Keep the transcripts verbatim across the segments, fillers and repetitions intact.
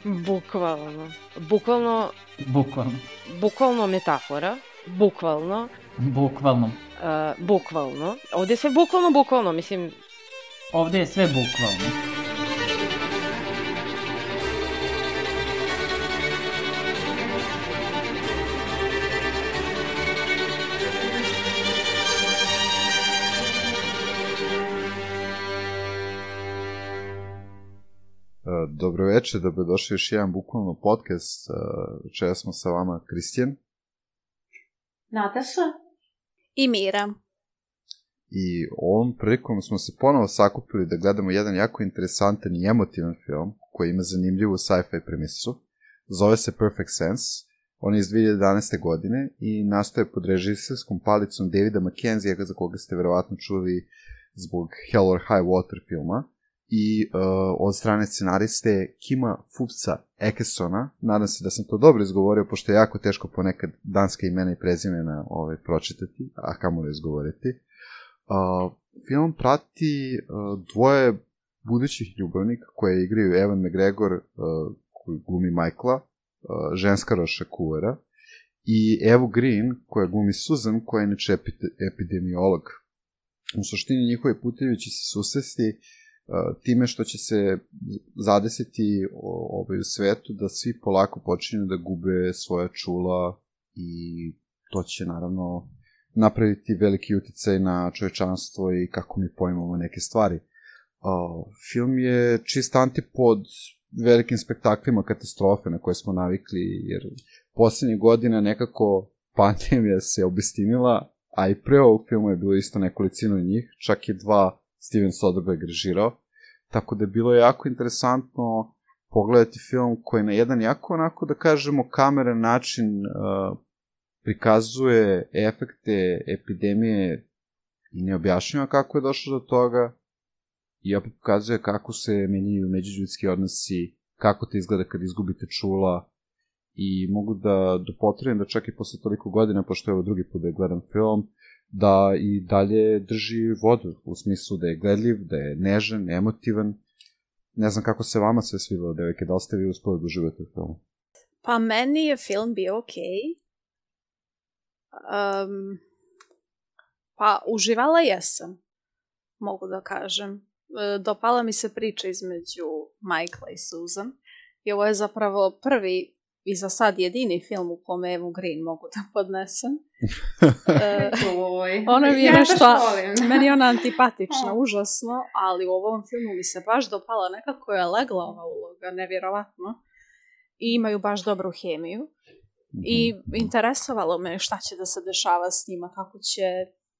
Bukvalno. Bukvalno... Bukvalno. Bukvalno metafora. Bukvalno. Bukvalno. Uh, bukvalno. Ovde je sve bukvalno, bukvalno, mislim... Ovde je sve bukvalno. Dobro večer, dobrodošli još jedan bukvalno podcast. Večera smo sa vama Kristijan, Nataša i Mira. I ovom prilikom smo se ponovo sakupili da gledamo jedan jako interesantan i emotivan film koji ima zanimljivu sci-fi premisu. Zove se Perfect Sense. On je iz dve hiljade jedanaeste. godine i nastoje pod režiserskom palicom Davida Mackenzija, za koga ste verovatno čuli zbog Hell or High Water filma, i uh, od strane scenariste Kima Fupca Ekesona. Nadam se da sam to dobro izgovorio, pošto je jako teško ponekad danska imena i prezimena ovaj, pročitati, a kamoli izgovoriti. Uh, film prati uh, dvoje budućih ljubavnika koje igraju Ewan McGregor, uh, koji glumi Michaela, uh, ženska Roša Kuvara, i Evu Green, koja glumi Susan, koja je inače epidemiolog. U suštini njihovi putevi će se susresti time što će se zadesiti ovaj, u svetu da svi polako počinju da gube svoja čula i to će naravno napraviti veliki uticaj na čovečanstvo i kako mi pojmamo neke stvari. Uh, film je čist antipod velikim spektaklima katastrofe na koje smo navikli, jer poslednjih godina nekako pandemija se obistinila, a i pre ovog filmu je bilo isto nekolicino njih, čak je dva Steven Soderbergh režirao, tako da je bilo jako interesantno pogledati film koji na jedan jako, onako da kažemo, kameran način uh, prikazuje efekte epidemije i ne objašnjava kako je došlo do toga i opet pokazuje kako se menjaju međuljudski odnosi, kako to izgleda kad izgubite čula, i mogu da dopotrebim da čak i posle toliko godina, pošto je ovo drugi put da je gledam film, da i dalje drži vodu, u smislu da je gledljiv, da je nežan, emotivan. Ne znam kako se vama sve svidelo, devojke, da li ste vi uspeli da uživate u filmu? Pa meni je film bio okej. Um, pa uživala jesam, mogu da kažem. Dopala mi se priča između Michaela i Susan. I ovo je zapravo prvi i za sad jedini film u kome Evu Green mogu da podnesem. uh, ona mi je ja nešto, meni je ona antipatična, užasno, ali u ovom filmu mi se baš dopala, nekako je legla ova uloga, nevjerovatno. I imaju baš dobru hemiju. I interesovalo me šta će da se dešava s njima, kako će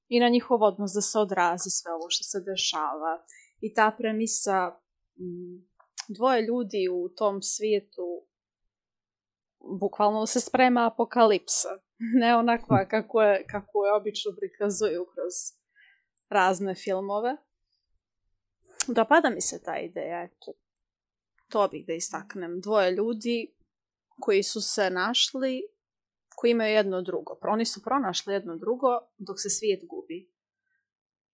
i na njihov odnos da se odrazi sve ovo što se dešava. I ta premisa m, dvoje ljudi u tom svijetu, bukvalno se sprema apokalipsa. Ne onakva kako je, kako je obično prikazuju kroz razne filmove. Dopada mi se ta ideja, eto. To bih da istaknem. Dvoje ljudi koji su se našli, koji imaju jedno drugo. Oni su pronašli jedno drugo dok se svijet gubi.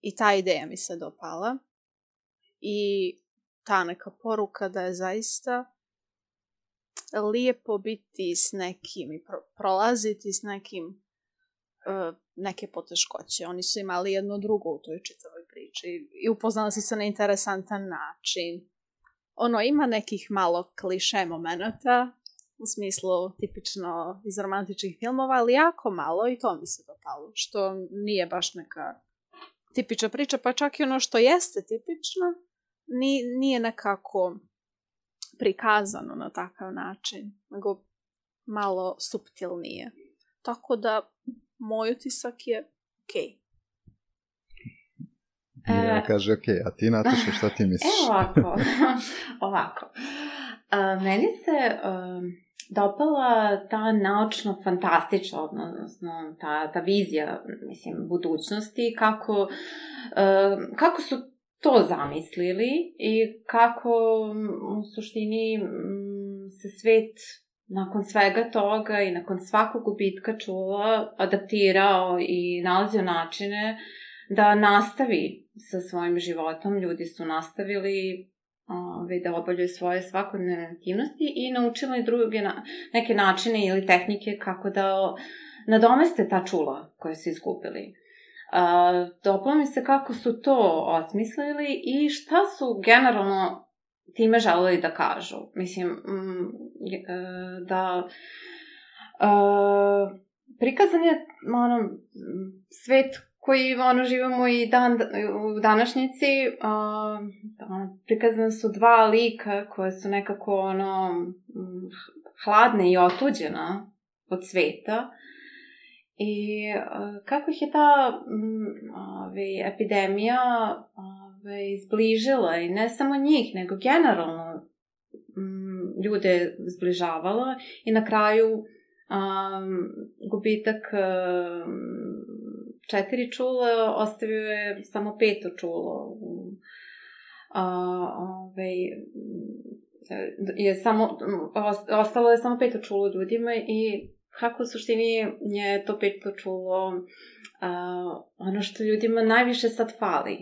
I ta ideja mi se dopala. I ta neka poruka da je zaista lijepo biti s nekim i pro- prolaziti s nekim uh, neke poteškoće. Oni su imali jedno drugo u toj čitavoj priči i upoznali su se na interesantan način. Ono, ima nekih malo kliše momenata, u smislu tipično iz romantičnih filmova, ali jako malo i to mi se dopalo, što nije baš neka tipična priča, pa čak i ono što jeste tipično, nije nekako prikazano na takav način, nego malo suptilnije. Tako da, moj utisak je okej. Mirjana kaže okej, a ti, Nataša, šta ti misliš? Evo ovako, ovako. Uh, meni se uh, dopala ta naučno-fantastična, odnosno ta, ta vizija, mislim, budućnosti, kako, uh, kako su to zamislili i kako u suštini se svet nakon svega toga i nakon svakog gubitka čula adaptirao i nalazio načine da nastavi sa svojim životom. Ljudi su nastavili ove, da obavljaju svoje svakodnevne aktivnosti i naučili druge na, neke načine ili tehnike kako da nadomeste ta čula koje su izgubili. Uh, dopalo mi se kako su to osmislili i šta su generalno time želeli da kažu. Mislim, mm, da uh, prikazan je ono, svet koji ono, živimo i dan, u današnjici. Uh, prikazane su dva lika koje su nekako ono, hladne i otuđena od sveta. I uh, kako ih je ta um, ove, epidemija ove, izbližila i ne samo njih, nego generalno um, ljude zbližavala i na kraju um, gubitak um, četiri čula ostavio je samo peto čulo. Um, a, ove, je samo, ostalo je samo peto čulo ljudima i kako u suštini je to peto čulo uh, ono što ljudima najviše sad fali.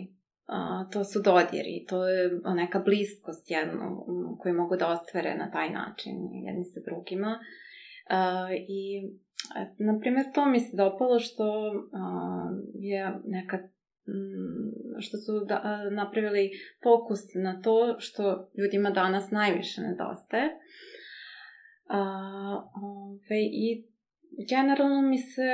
Uh, to su dodiri, to je neka bliskost jedno, um, koju mogu da ostvare na taj način jedni sa drugima. Uh, I, na primjer, to mi se dopalo što uh, je neka um, što su da, uh, napravili fokus na to što ljudima danas najviše nedostaje. Uh, ove, i generalno mi se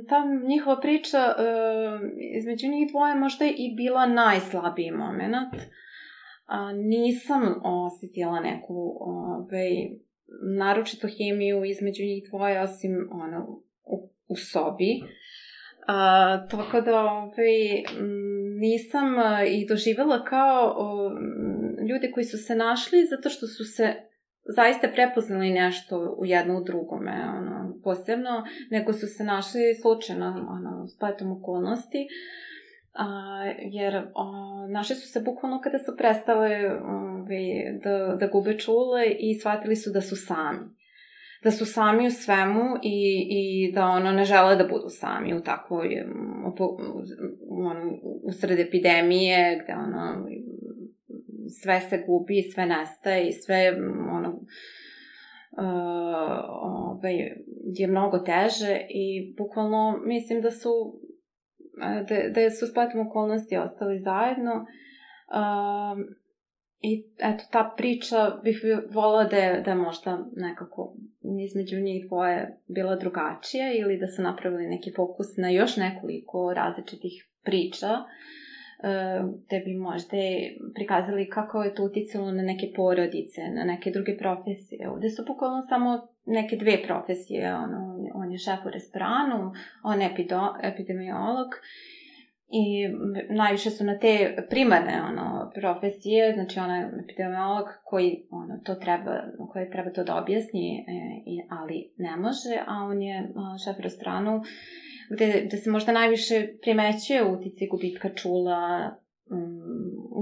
ta njihova priča uh, između njih dvoje možda i bila najslabiji moment. Uh, nisam osjetila neku ove, naročito hemiju između njih dvoje osim ono, u, u sobi. Uh, tako da ove, nisam i doživjela kao uh, ljudi koji su se našli zato što su se zaista prepoznali nešto u jedno u drugome, ono, posebno, nego su se našli slučajno, ono, spletom okolnosti, a, jer a, našli su se bukvalno kada su prestale ove, da, da gube čule i shvatili su da su sami. Da su sami u svemu i, i da ono, ne žele da budu sami u takvoj, ono, usred epidemije, gde ono, sve se gubi, sve nestaje i sve ono, uh, ovaj, je mnogo teže i bukvalno mislim da su da, da su spletom okolnosti ostali zajedno uh, i eto ta priča bih volila da je, da je možda nekako između njih dvoje bila drugačija ili da su napravili neki fokus na još nekoliko različitih priča da bi možda prikazali kako je to uticalo na neke porodice, na neke druge profesije. Ovdje su bukvalno samo neke dve profesije. Ono, on je šef u restoranu, on je epidemiolog i najviše su na te primarne ono, profesije, znači on je epidemiolog koji ono, to treba, koji treba to da objasni, ali ne može, a on je šef u restoranu Gde, gde se možda najviše primećuje utici gubitka čula, um,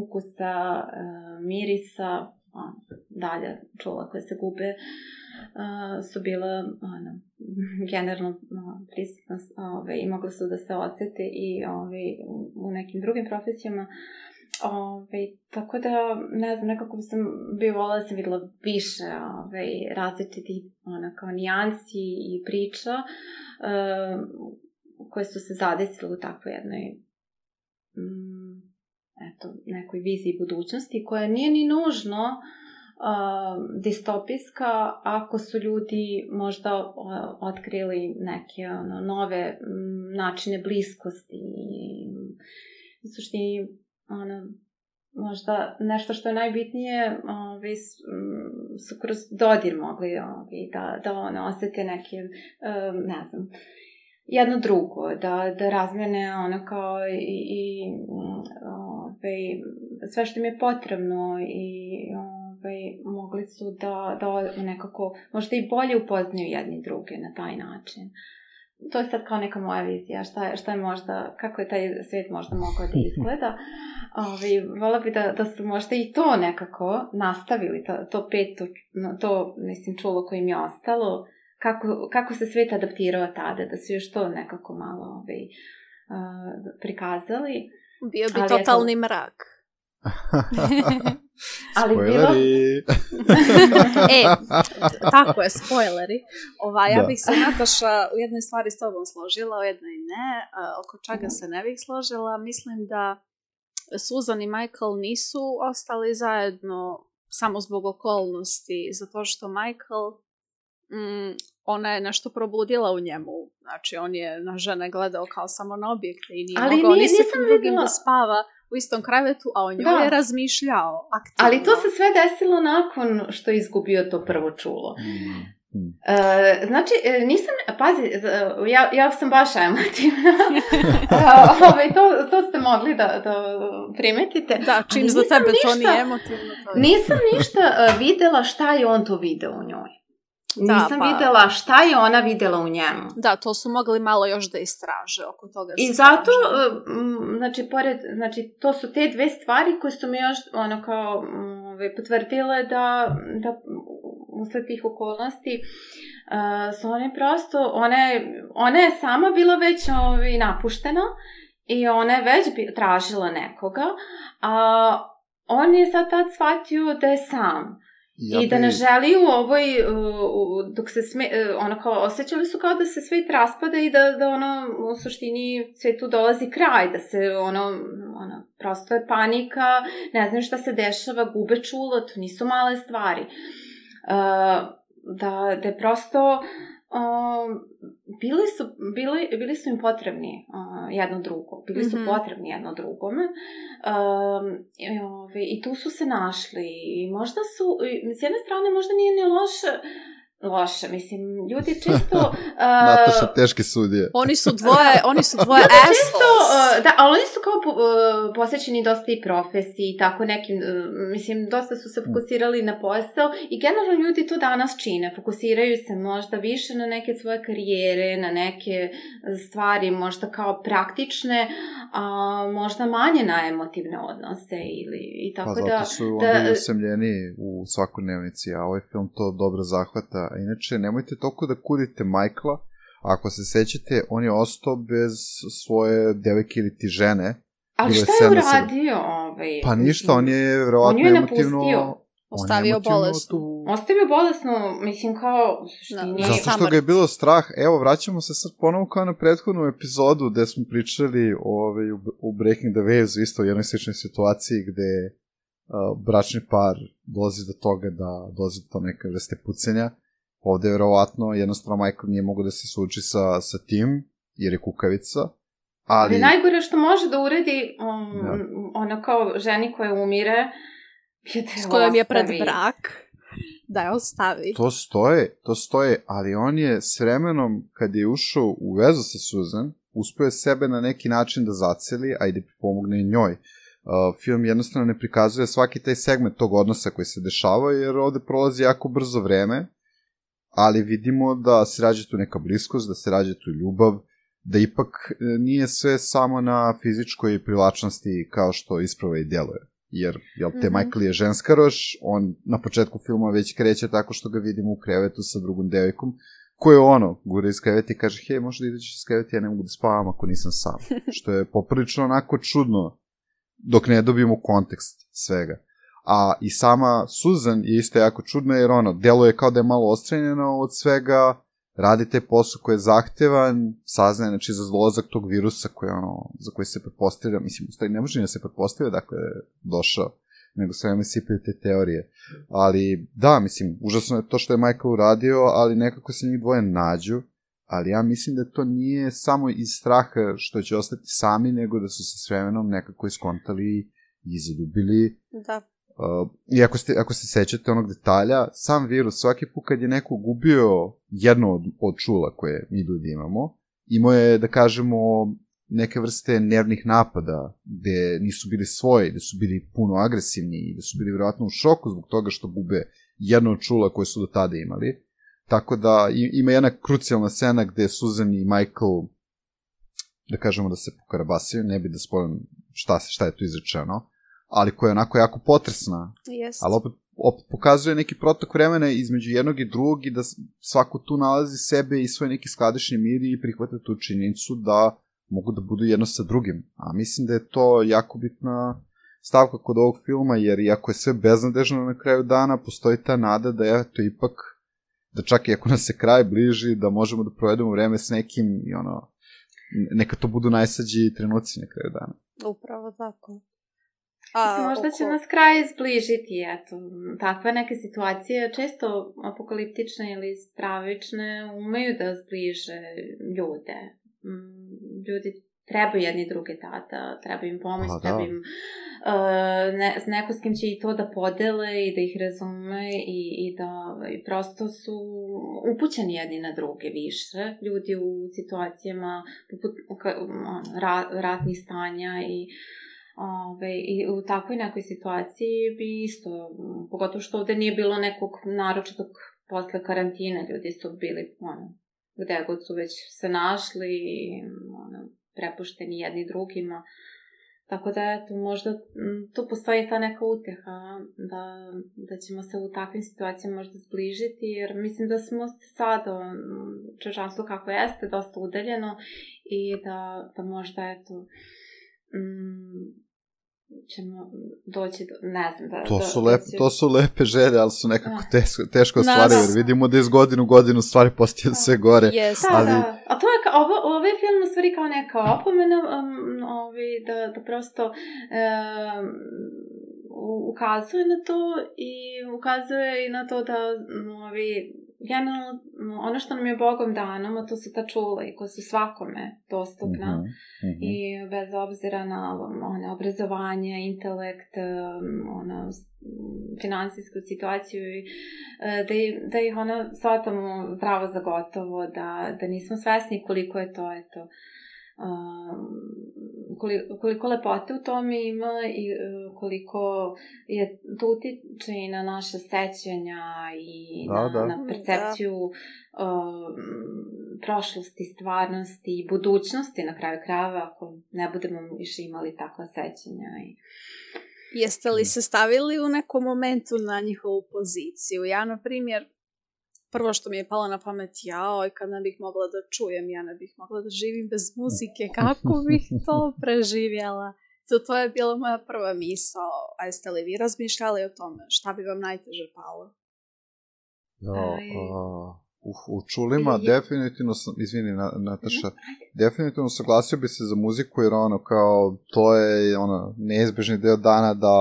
ukusa, uh, mirisa, on, dalje čula koje se gube, uh, su bila ono, generalno uh, prisutna ove, i mogli su da se osjete i ove, u nekim drugim profesijama. Ove, tako da, ne znam, nekako bi sam bi volila da sam videla više ove, različitih ono, kao nijansi i priča uh, koje su se zadesile u takvoj jednoj mm, eto, nekoj viziji budućnosti koja nije ni nužno uh, distopijska ako su ljudi možda uh, otkrili neke ono, nove um, načine bliskosti i u suštini ono, možda nešto što je najbitnije ovi, su kroz dodir mogli ovi, da, da ono, osjete neke um, ne znam jedno drugo, da, da razmene ono kao i, i ove, sve što im je potrebno i ove, mogli su da, da nekako možda i bolje upoznaju jedni druge na taj način. To je sad kao neka moja vizija, šta je, šta je možda, kako je taj svijet možda mogao da izgleda. Ove, vola bi da, da su možda i to nekako nastavili, to, to peto, to mislim čulo koje im je ostalo, Kako, kako se svijet adaptirao tada, da su još to nekako malo ovaj, uh, prikazali. Bio bi ali totalni eto, mrak. Spoileri! E, tako je, spoileri. Ova, ja da. bih se, Nataša, u jednoj stvari s tobom složila, u jednoj ne. A, oko čega se ne bih složila? Mislim da Susan i Michael nisu ostali zajedno samo zbog okolnosti, zato što Michael, mm, ona je nešto probudila u njemu. Znači, on je na žene gledao kao samo na objekte i nije ali mogao nije, ni sa kim drugim vidjela. Da spava u istom krevetu, a o njoj da. je razmišljao aktivno. Ali to se sve desilo nakon što je izgubio to prvo čulo. Mm. Hmm. Uh, znači, nisam, pazi, ja, ja sam baš emotivna. uh, ovaj, to, to ste mogli da, da primetite. Da, čim za tebe ništa, to nije emotivno. To je. Nisam ništa uh, videla šta je on to video u njoj. Da, nisam pa... videla šta je ona videla u njemu. Da, to su mogli malo još da istraže oko toga. I zato, uh, znači, pored, znači, to su te dve stvari koje su mi još ono kao um, potvrdile da, da usled tih okolnosti uh, su one prosto, ona je, ona je sama bila već ovaj, napuštena i ona je već bi, tražila nekoga, a on je sad tad shvatio da je sam. Ja I da ne želi u ovoj, uh, dok se sme, uh, ono kao, osjećali su kao da se svet raspada i da, da ono, u suštini svetu dolazi kraj, da se ono, ono, prosto je panika, ne znam šta se dešava, gube čulo, to nisu male stvari. Uh, da, da je prosto, uh, bili su, bili, bili su im potrebni uh, jedno drugo, bili su mm-hmm. potrebni jedno drugome um, i, ove, i tu su se našli i možda su, s jedne strane možda nije ni loše, loše, mislim, ljudi često... Uh, Nataša, teški sudije. Oni su dvoje, oni su dvoje često, uh, da, ali oni su kao uh, posvećeni dosta i profesiji, tako nekim, uh, mislim, dosta su se fokusirali na posao i generalno ljudi to danas čine, fokusiraju se možda više na neke svoje karijere, na neke stvari možda kao praktične, a možda manje na emotivne odnose ili i tako da... Pa zato su da, oni usamljeni u svakodnevnici, a ovaj film to dobro zahvata. A inače, nemojte toliko da kudite Michaela. Ako se sećate, on je ostao bez svoje devojke ili ti žene. Ali šta je uradio? Ovaj, pa ništa, on je verovatno on je emotivno... Ostavio bolesnu. Tu... Ostavio bolesnu, mislim kao... Da, zato što ga je bilo strah. Evo, vraćamo se sad ponovo kao na prethodnu epizodu gde smo pričali ovaj, u Breaking the Waves, isto u jednoj sličnoj situaciji gde uh, bračni par dolazi do toga da dolazi do neke vrste pucenja. Ovde je verovatno, jednostavno Michael nije mogo da se suči sa, sa tim, jer je kukavica. Ali... ali najgore što može da uredi um, da. Ono kao ženi koja umire, s kojom je pred brak, da je ostavi. To stoje, to stoje, ali on je s vremenom, kad je ušao u vezu sa Susan, uspio je sebe na neki način da zaceli, a i da pomogne njoj. Uh, film jednostavno ne prikazuje svaki taj segment tog odnosa koji se dešava, jer ovde prolazi jako brzo vreme, ali vidimo da se rađa tu neka bliskost, da se rađa tu ljubav, da ipak nije sve samo na fizičkoj privlačnosti kao što isprava i djeluje. Jer, jel, te mm-hmm. Michael je ženskaroš, on na početku filma već kreće tako što ga vidimo u krevetu sa drugom devojkom, ko je ono, gura iz kreveta i kaže, hej, možda ideš iz kreveta, ja ne mogu da spavam ako nisam sam. Što je poprilično onako čudno, dok ne dobijemo kontekst svega. A i sama Susan je isto jako čudna, jer ono, deluje kao da je malo ostrenjena od svega, radi taj posao koji je zahtevan, saznaje, znači, za dolazak tog virusa koji, ono, za koji se pretpostavlja, mislim, u stvari ne može ni da se pretpostavlja, dakle, došao, nego sve me sipaju te teorije. Ali, da, mislim, užasno je to što je Michael uradio, ali nekako se njih dvoje nađu, ali ja mislim da to nije samo iz straha što će ostati sami, nego da su se s vremenom nekako iskontali i zaljubili. Da. Uh, I ako ste, ako se sećate onog detalja, sam virus, svaki put kad je neko gubio jedno od, od čula koje mi ljudi imamo, imao je, da kažemo, neke vrste nervnih napada, gde nisu bili svoji, gde su bili puno agresivni, gde su bili vjerojatno u šoku zbog toga što gube jedno od čula koje su do tada imali. Tako da ima jedna krucijalna scena gde Susan i Michael, da kažemo da se pokarabasaju, ne bi da spojim šta, šta je tu izrečeno, ali koja je onako jako potresna. Yes. Ali opet, opet pokazuje neki protok vremena između jednog i drugog i da svako tu nalazi sebe i svoj neki skladišni mir i prihvata tu činjenicu da mogu da budu jedno sa drugim. A mislim da je to jako bitna stavka kod ovog filma, jer iako je sve beznadežno na kraju dana, postoji ta nada da je to ipak, da čak i ako nas se kraj bliži, da možemo da provedemo vreme s nekim i ono, neka to budu najsađi trenuci na kraju dana. Upravo tako. A, možda će oko... nas kraj zbližiti, eto, takve neke situacije, često apokaliptične ili stravične, umeju da zbliže ljude. Ljudi trebaju jedni druge tada, treba im pomoć, A, treba im uh, ne, neko s kim će i to da podele i da ih razume i, i da i prosto su upućeni jedni na druge više. Ljudi u situacijama poput ra, ratnih stanja i Ove, i u takvoj nekoj situaciji bi isto, pogotovo što ovde nije bilo nekog naročitog posle karantine, ljudi su bili, ono, gde god su već se našli, ono, prepušteni jedni drugima, tako da, eto, možda tu postoji ta neka uteha, da, da ćemo se u takvim situacijama možda zbližiti, jer mislim da smo sada, čovječanstvo kako jeste, dosta udaljeno i da, da možda, eto, mm, ćemo doći do, ne znam, da... To su, do, lep, doći... to su lepe želje, ali su nekako teško, teško stvari, jer vidimo da iz godinu godinu stvari postaju sve gore. Yes. Da, ali... da. A to je, kao, ovo, ovaj film u stvari kao neka opomena, um, ovaj, da, da prosto um, ukazuje na to i ukazuje i na to da ovaj, generalno, ono što nam je Bogom dano, a to su ta čula i koja su svakome dostupna mm-hmm, mm-hmm. i bez obzira na one, obrazovanje, intelekt, ono, finansijsku situaciju i da, da ih ono shvatamo zdravo za gotovo, da, da nismo svesni koliko je to, eto, koliko, koliko lepote u tome ima i koliko je to utiče i na naše sećanja i da, na, da. na percepciju da. uh, prošlosti, stvarnosti i budućnosti na kraju krajeva ako ne budemo više imali takva sećanja. I... Jeste li se stavili u nekom momentu na njihovu poziciju? Ja, na primjer, prvo što mi je palo na pamet, jao, i kad ne bih mogla da čujem, ja ne bih mogla da živim bez muzike, kako bih to preživjela? To, to je bila moja prva misao. A jeste li vi razmišljali o tome? Šta bi vam najteže palo? No, uh, u, u čulima je, je. definitivno sam, izvini Nataša, definitivno saglasio bi se za muziku, jer ono kao, to je ono, neizbežni deo dana da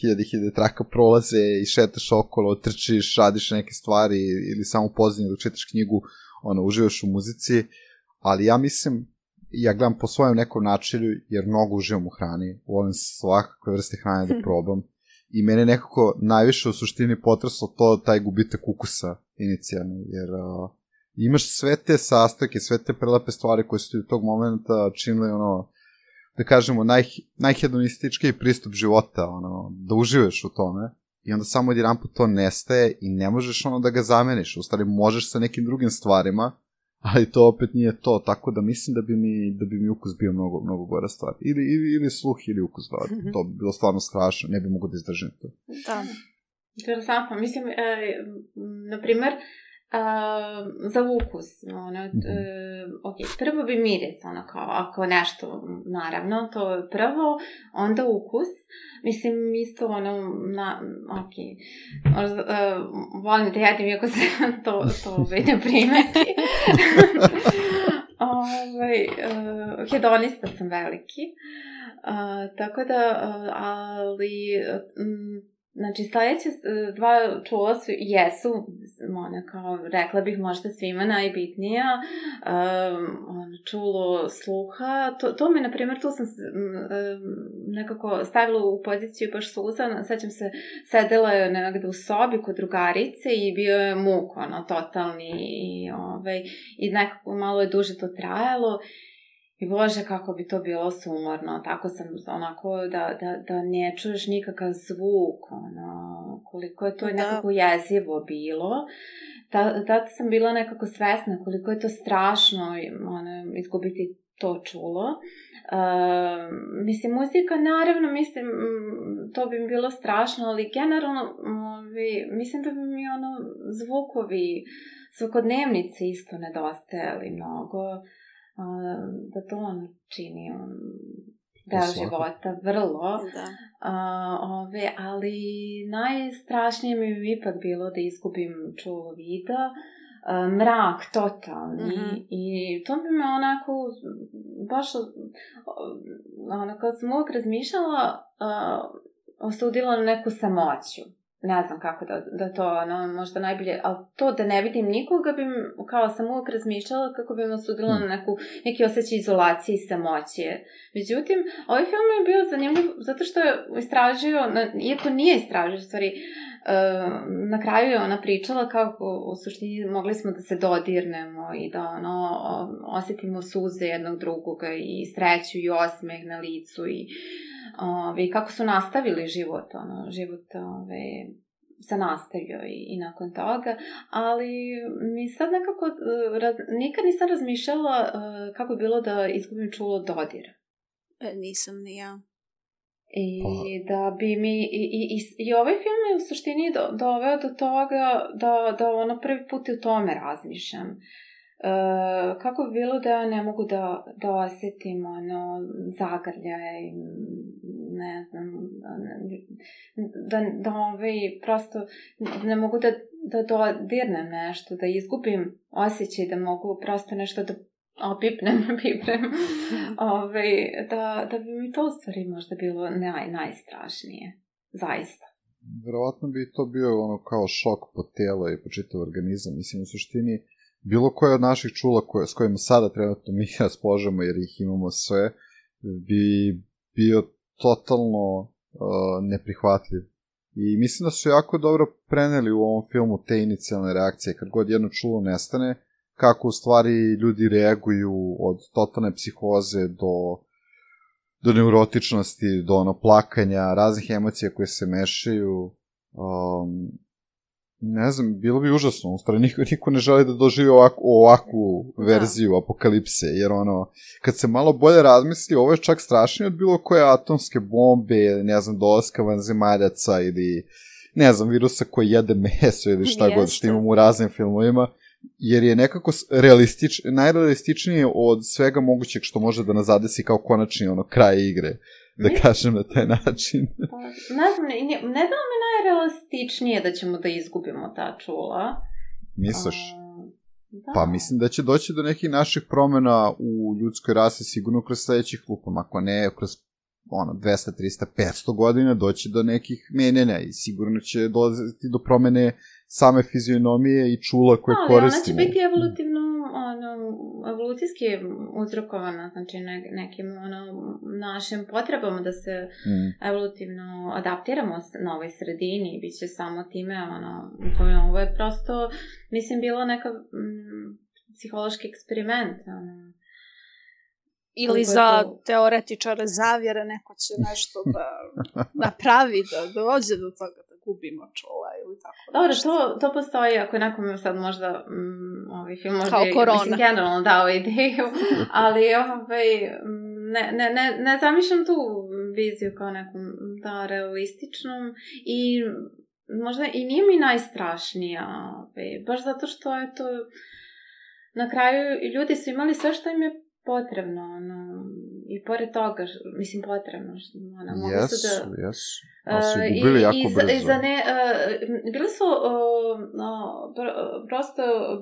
hiljade hiljade traka prolaze i šetaš okolo, trčiš, radiš neke stvari ili samo pozadnje dok čitaš knjigu, ono, uživaš u muzici, ali ja mislim, ja gledam po svojem nekom načinu, jer mnogo uživam u hrani, volim svakakve vrste hrane da probam, i mene nekako najviše u suštini potreslo to, taj gubitak ukusa inicijalno, jer uh, imaš sve te sastojke, sve te prelepe stvari koje su ti u tog momenta činili, ono, da kažemo, naj, najhedonističkiji pristup života, ono, da uživaš u tome, i onda samo odjedanput to nestaje i ne možeš ono da ga zameniš, u stvari možeš sa nekim drugim stvarima, ali to opet nije to, tako da mislim da bi mi, da bi mi ukus bio mnogo, mnogo gora stvar. Ili, ili, ili sluh, ili ukus, da, to bi bilo stvarno strašno, ne bi mogo da izdržim to. Da, interesantno, mislim, e, na primer, Uh, za ukus, ono, mm-hmm. uh, ok, prvo bi miris, ono, kao, ako nešto, naravno, to je prvo, onda ukus, mislim, isto, ono, na, ok, uh, volim da jedim, iako se to, to ne primeti, ovaj, uh, hedonista sam veliki, uh, tako da, uh, ali, um, znači, sledeće dva čula su, jesu, ona, kao, rekla bih možda svima najbitnija, um, čulo sluha, to, to mi, na primjer, tu sam um, nekako stavila u poziciju baš suza, sećam se, sedela je negde u sobi kod drugarice i bio je muk, ono, totalni, i, ovaj, i nekako malo je duže to trajalo. I bože, kako bi to bilo sumorno, tako sam onako da, da, da ne čuješ nikakav zvuk, ono, koliko je to da. nekako jezivo bilo. Da, da sam bila nekako svesna koliko je to strašno, ono, izgubiti to čulo. Uh, mislim, muzika, naravno, mislim, to bi mi bilo strašno, ali generalno, ovi, mislim da bi mi ono, zvukovi svakodnevnice isto nedostajali mnogo. Uh, da to on čini, on, deo života, vrlo. Da. A, ove, ali najstrašnije mi je ipak bilo da izgubim čulo vida, a, mrak totalni, mm-hmm. i to bi me onako baš ono, kad sam uvijek razmišljala, a, osudila na neku samoću. Ne znam kako da, da to, ono, možda najbolje, ali to da ne vidim nikoga bi, kao sam uvijek razmišljala kako bi me osudila na neku, neki osjećaj izolacije i samoće. Međutim, ovaj film je bio zanimljiv zato što je istražio, iako nije istražio, stvari, na kraju je ona pričala kako u suštini mogli smo da se dodirnemo i da ono, osjetimo suze jednog drugoga i sreću i osmeh na licu i Ove, kako su nastavili život, ono, život ove, se nastavio i, i nakon toga, ali mi sad nekako, raz, nikad nisam razmišljala uh, kako je bilo da izgubim čulo dodir. E, nisam ni ja. I da bi mi, i, i, i, i ovaj film je u suštini do, doveo do toga da, da ono prvi put u tome razmišljam. Uh, kako bi bilo da ja ne mogu da, da osjetim ono, zagrljaj, ne znam, da, da ovaj, prosto ne mogu da, da dodirnem nešto, da izgubim osjećaj da mogu prosto nešto da opipnem, pipnem, ovaj, da, da bi mi to u stvari možda bilo naj, najstrašnije, zaista. Verovatno bi to bio ono kao šok po tijelo i po čitav organizam, mislim u suštini bilo koje od naših čula koje, s kojima sada trenutno mi raspolažemo, jer ih imamo sve, bi bio totalno uh, neprihvatljiv. I mislim da su jako dobro preneli u ovom filmu te inicijalne reakcije. Kad god jedno čulo nestane, kako u stvari ljudi reaguju od totalne psihoze do, do neurotičnosti, do ono plakanja, raznih emocija koje se mešaju. Um, Ne znam, bilo bi užasno, u stvari niko, niko ne želi da doživi ovakvu, ovakvu verziju da. Apokalipse, jer ono, kad se malo bolje razmisli, ovo je čak strašnije od bilo koje atomske bombe, ne znam, dolaska vanzemaljaca ili, ne znam, virusa koji jede meso ili šta Jeste. god, što imamo u raznim filmovima, jer je nekako realistič, najrealističnije od svega mogućeg što može da nas zadesi kao konačni ono, kraj igre. Da kažem na taj način. Pa, ne znam, ne, ne da mi najrealističnije da ćemo da izgubimo ta čula. Misliš? Da. Pa mislim da će doći do nekih naših promjena u ljudskoj rasi sigurno kroz sledećih lupom, ako ne kroz ono, dvesta, trista, petsto godina doći do nekih menjanja i sigurno će dolaziti do promjene same fizionomije i čula koje no, koristimo. Ona će biti evolutivno, ono, evolucijski uzrokovana, znači ne, nekim ono, našim potrebama da se mm. evolutivno adaptiramo na ovoj sredini i bit će samo time, ono, ovo je prosto, mislim, bilo neka mm, psihološki eksperiment, ono. Ili za teoretičare zavjere neko će nešto da napravi, da dođe do toga da gubimo čula ili tako. Dobro, to, to postoji, ako nekom sad možda mm, ovaj film možda kao je, korona. Mislim, generalno dao ideju, ali ovaj, ne, ne, ne, ne zamišljam tu viziju kao nekom da, realističnom i možda i nije mi najstrašnija, ovaj, baš zato što je to na kraju ljudi su imali sve što im je potrebno, ono, i pored toga, mislim, potrebno, ono, mogli yes, su da... Yes, ali su ih gubili jako i, brzo. I za ne, uh, bili su uh, uh, pr prosto uh,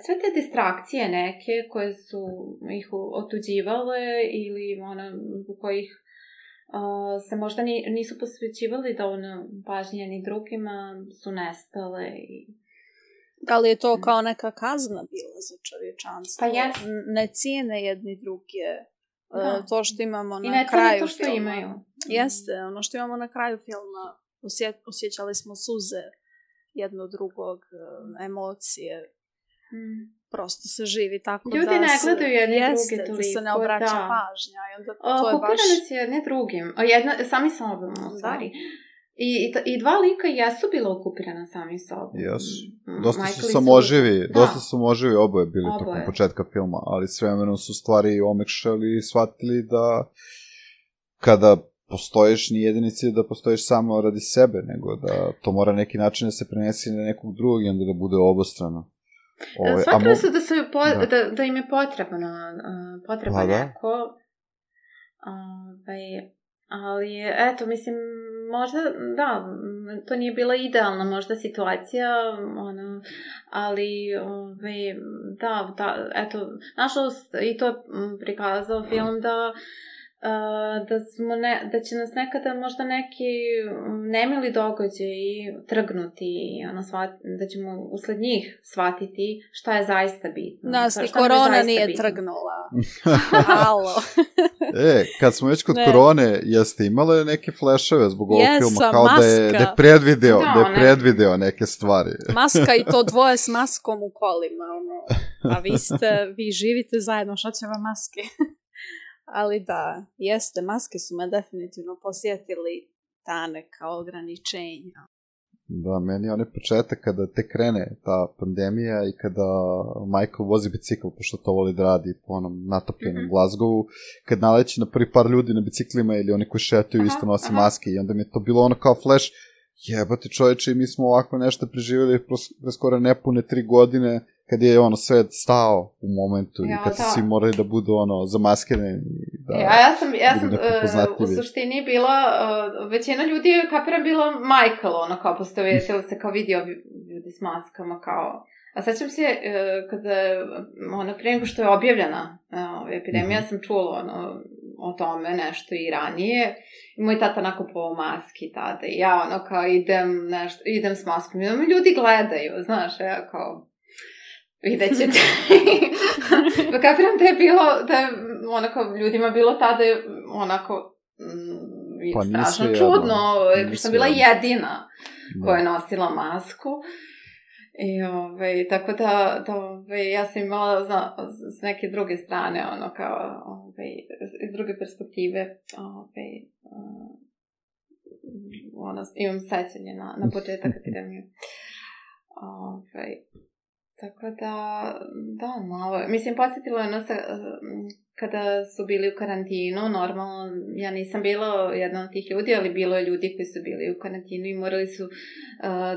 sve te distrakcije neke koje su ih otuđivale ili ono, u kojih uh, se možda ni, nisu posvećivali dovoljno pažnje ni drugima, su nestale i... Da li je to kao neka kazna bila za čovječanstvo? Pa jes. Ne cijene jedni druge. Da. To što imamo I na kraju to što filma. Imaju. Jeste, ono što imamo na kraju filma. Osje, osjećali smo suze jedno drugog, emocije. Hmm. Prosto se živi tako ljudi da ne se... gledaju jedni jeste, drugi toliko. Da se ne obraća da. pažnja. I onda o, to je baš... se jedni drugim. O, jedna, sami sobom, u stvari. I, i, I dva lika jesu bila okupirana sami sobom. Jesu. Dosta Michael su samoživi, su... dosta su samoživi oboje bili oboje. tokom početka filma, ali s vremenom su stvari omekšali i shvatili da kada postojiš ni jedini cilj da postojiš samo radi sebe, nego da to mora neki način da se prenesi na nekog drugog i onda da bude obostrano. Ove, Shvatili mo... su da, su po, da. Da, da im je potrebno, uh, potrebno neko... Ovaj, ali, eto, mislim, možda, da, to nije bila idealna možda situacija, ono, ali, ovaj, da, da, eto, nažalost, i to prikazao film da da, smo ne, da će nas nekada možda neki nemili događaji trgnuti, ono, svat, da ćemo usled njih shvatiti šta je zaista bitno. Nas i korona nije bitno. Trgnula. Halo. E, kad smo već kod ne. korone, jeste imale neke fleševe zbog ovog Jesa, filma, kao maska. da je, da je predvideo, da, da je predvideo neke stvari. Maska i to dvoje s maskom u kolima, ono. A vi ste, vi živite zajedno, šta će vam maske? Ali da, jeste, maske su me definitivno posjetili ta neka ograničenja. Da, meni je onaj početak kada te krene ta pandemija i kada Michael vozi bicikl, pošto to voli da radi po onom natopljenom mm-hmm. Glasgowu, kad naleći na prvi par ljudi na biciklima ili oni koji šetaju aha, isto nosi aha. maske i onda mi je to bilo ono kao flash, jebate čovječe, mi smo ovako nešto preživjeli pre skoro nepune tri godine, kad je ono svet stao u momentu ja, i kad su svi morali da budu ono zamaskirani. Da, ja, ja sam, ja sam uh, u suštini bila, uh, većina ljudi je kapiram bila Michael, ono kao postavitila se kao vidio ljudi s maskama kao, a sećam se uh, kada ono prije nego što je objavljena uh, epidemija mm-hmm. sam čula ono o tome nešto i ranije i moj tata nakupovao maski tada i ja ono kao idem nešto, idem s maskom i mi ljudi gledaju, znaš, ja kao vidjet ćete. Pa kapiram da je bilo, da je onako ljudima bilo tada onako mm, pa strašno čudno, jer sam bila jedina da. koja je nosila masku. I ovaj, tako da, da ovaj, ja sam imala zna, s neke druge strane, ono kao, ovaj, iz druge perspektive, ovaj, uh, ono, imam sećanje na, na početak epidemije. Ovaj, tako da, da, malo, mislim, podsjetilo je nas kada su bili u karantinu, normalno, ja nisam bila jedna od tih ljudi, ali bilo je ljudi koji su bili u karantinu i morali su uh,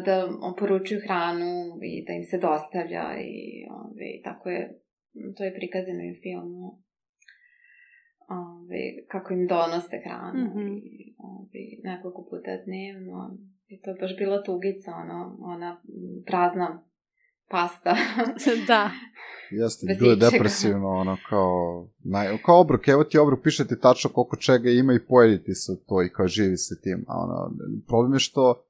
da oporučuju hranu i da im se dostavlja i ove, tako je, to je prikazano u filmu, ove, kako im donose hranu mm-hmm. i ove, nekoliko puta dnevno i to je baš bila tugica, ono, ona prazna pasta. Da. Jeste, bilo je depresivno, ono, kao, naj, kao obrok, evo ti obrok, piše ti tačno koliko čega ima i pojediti sa to i kao živi se tim, a ono, problem je što,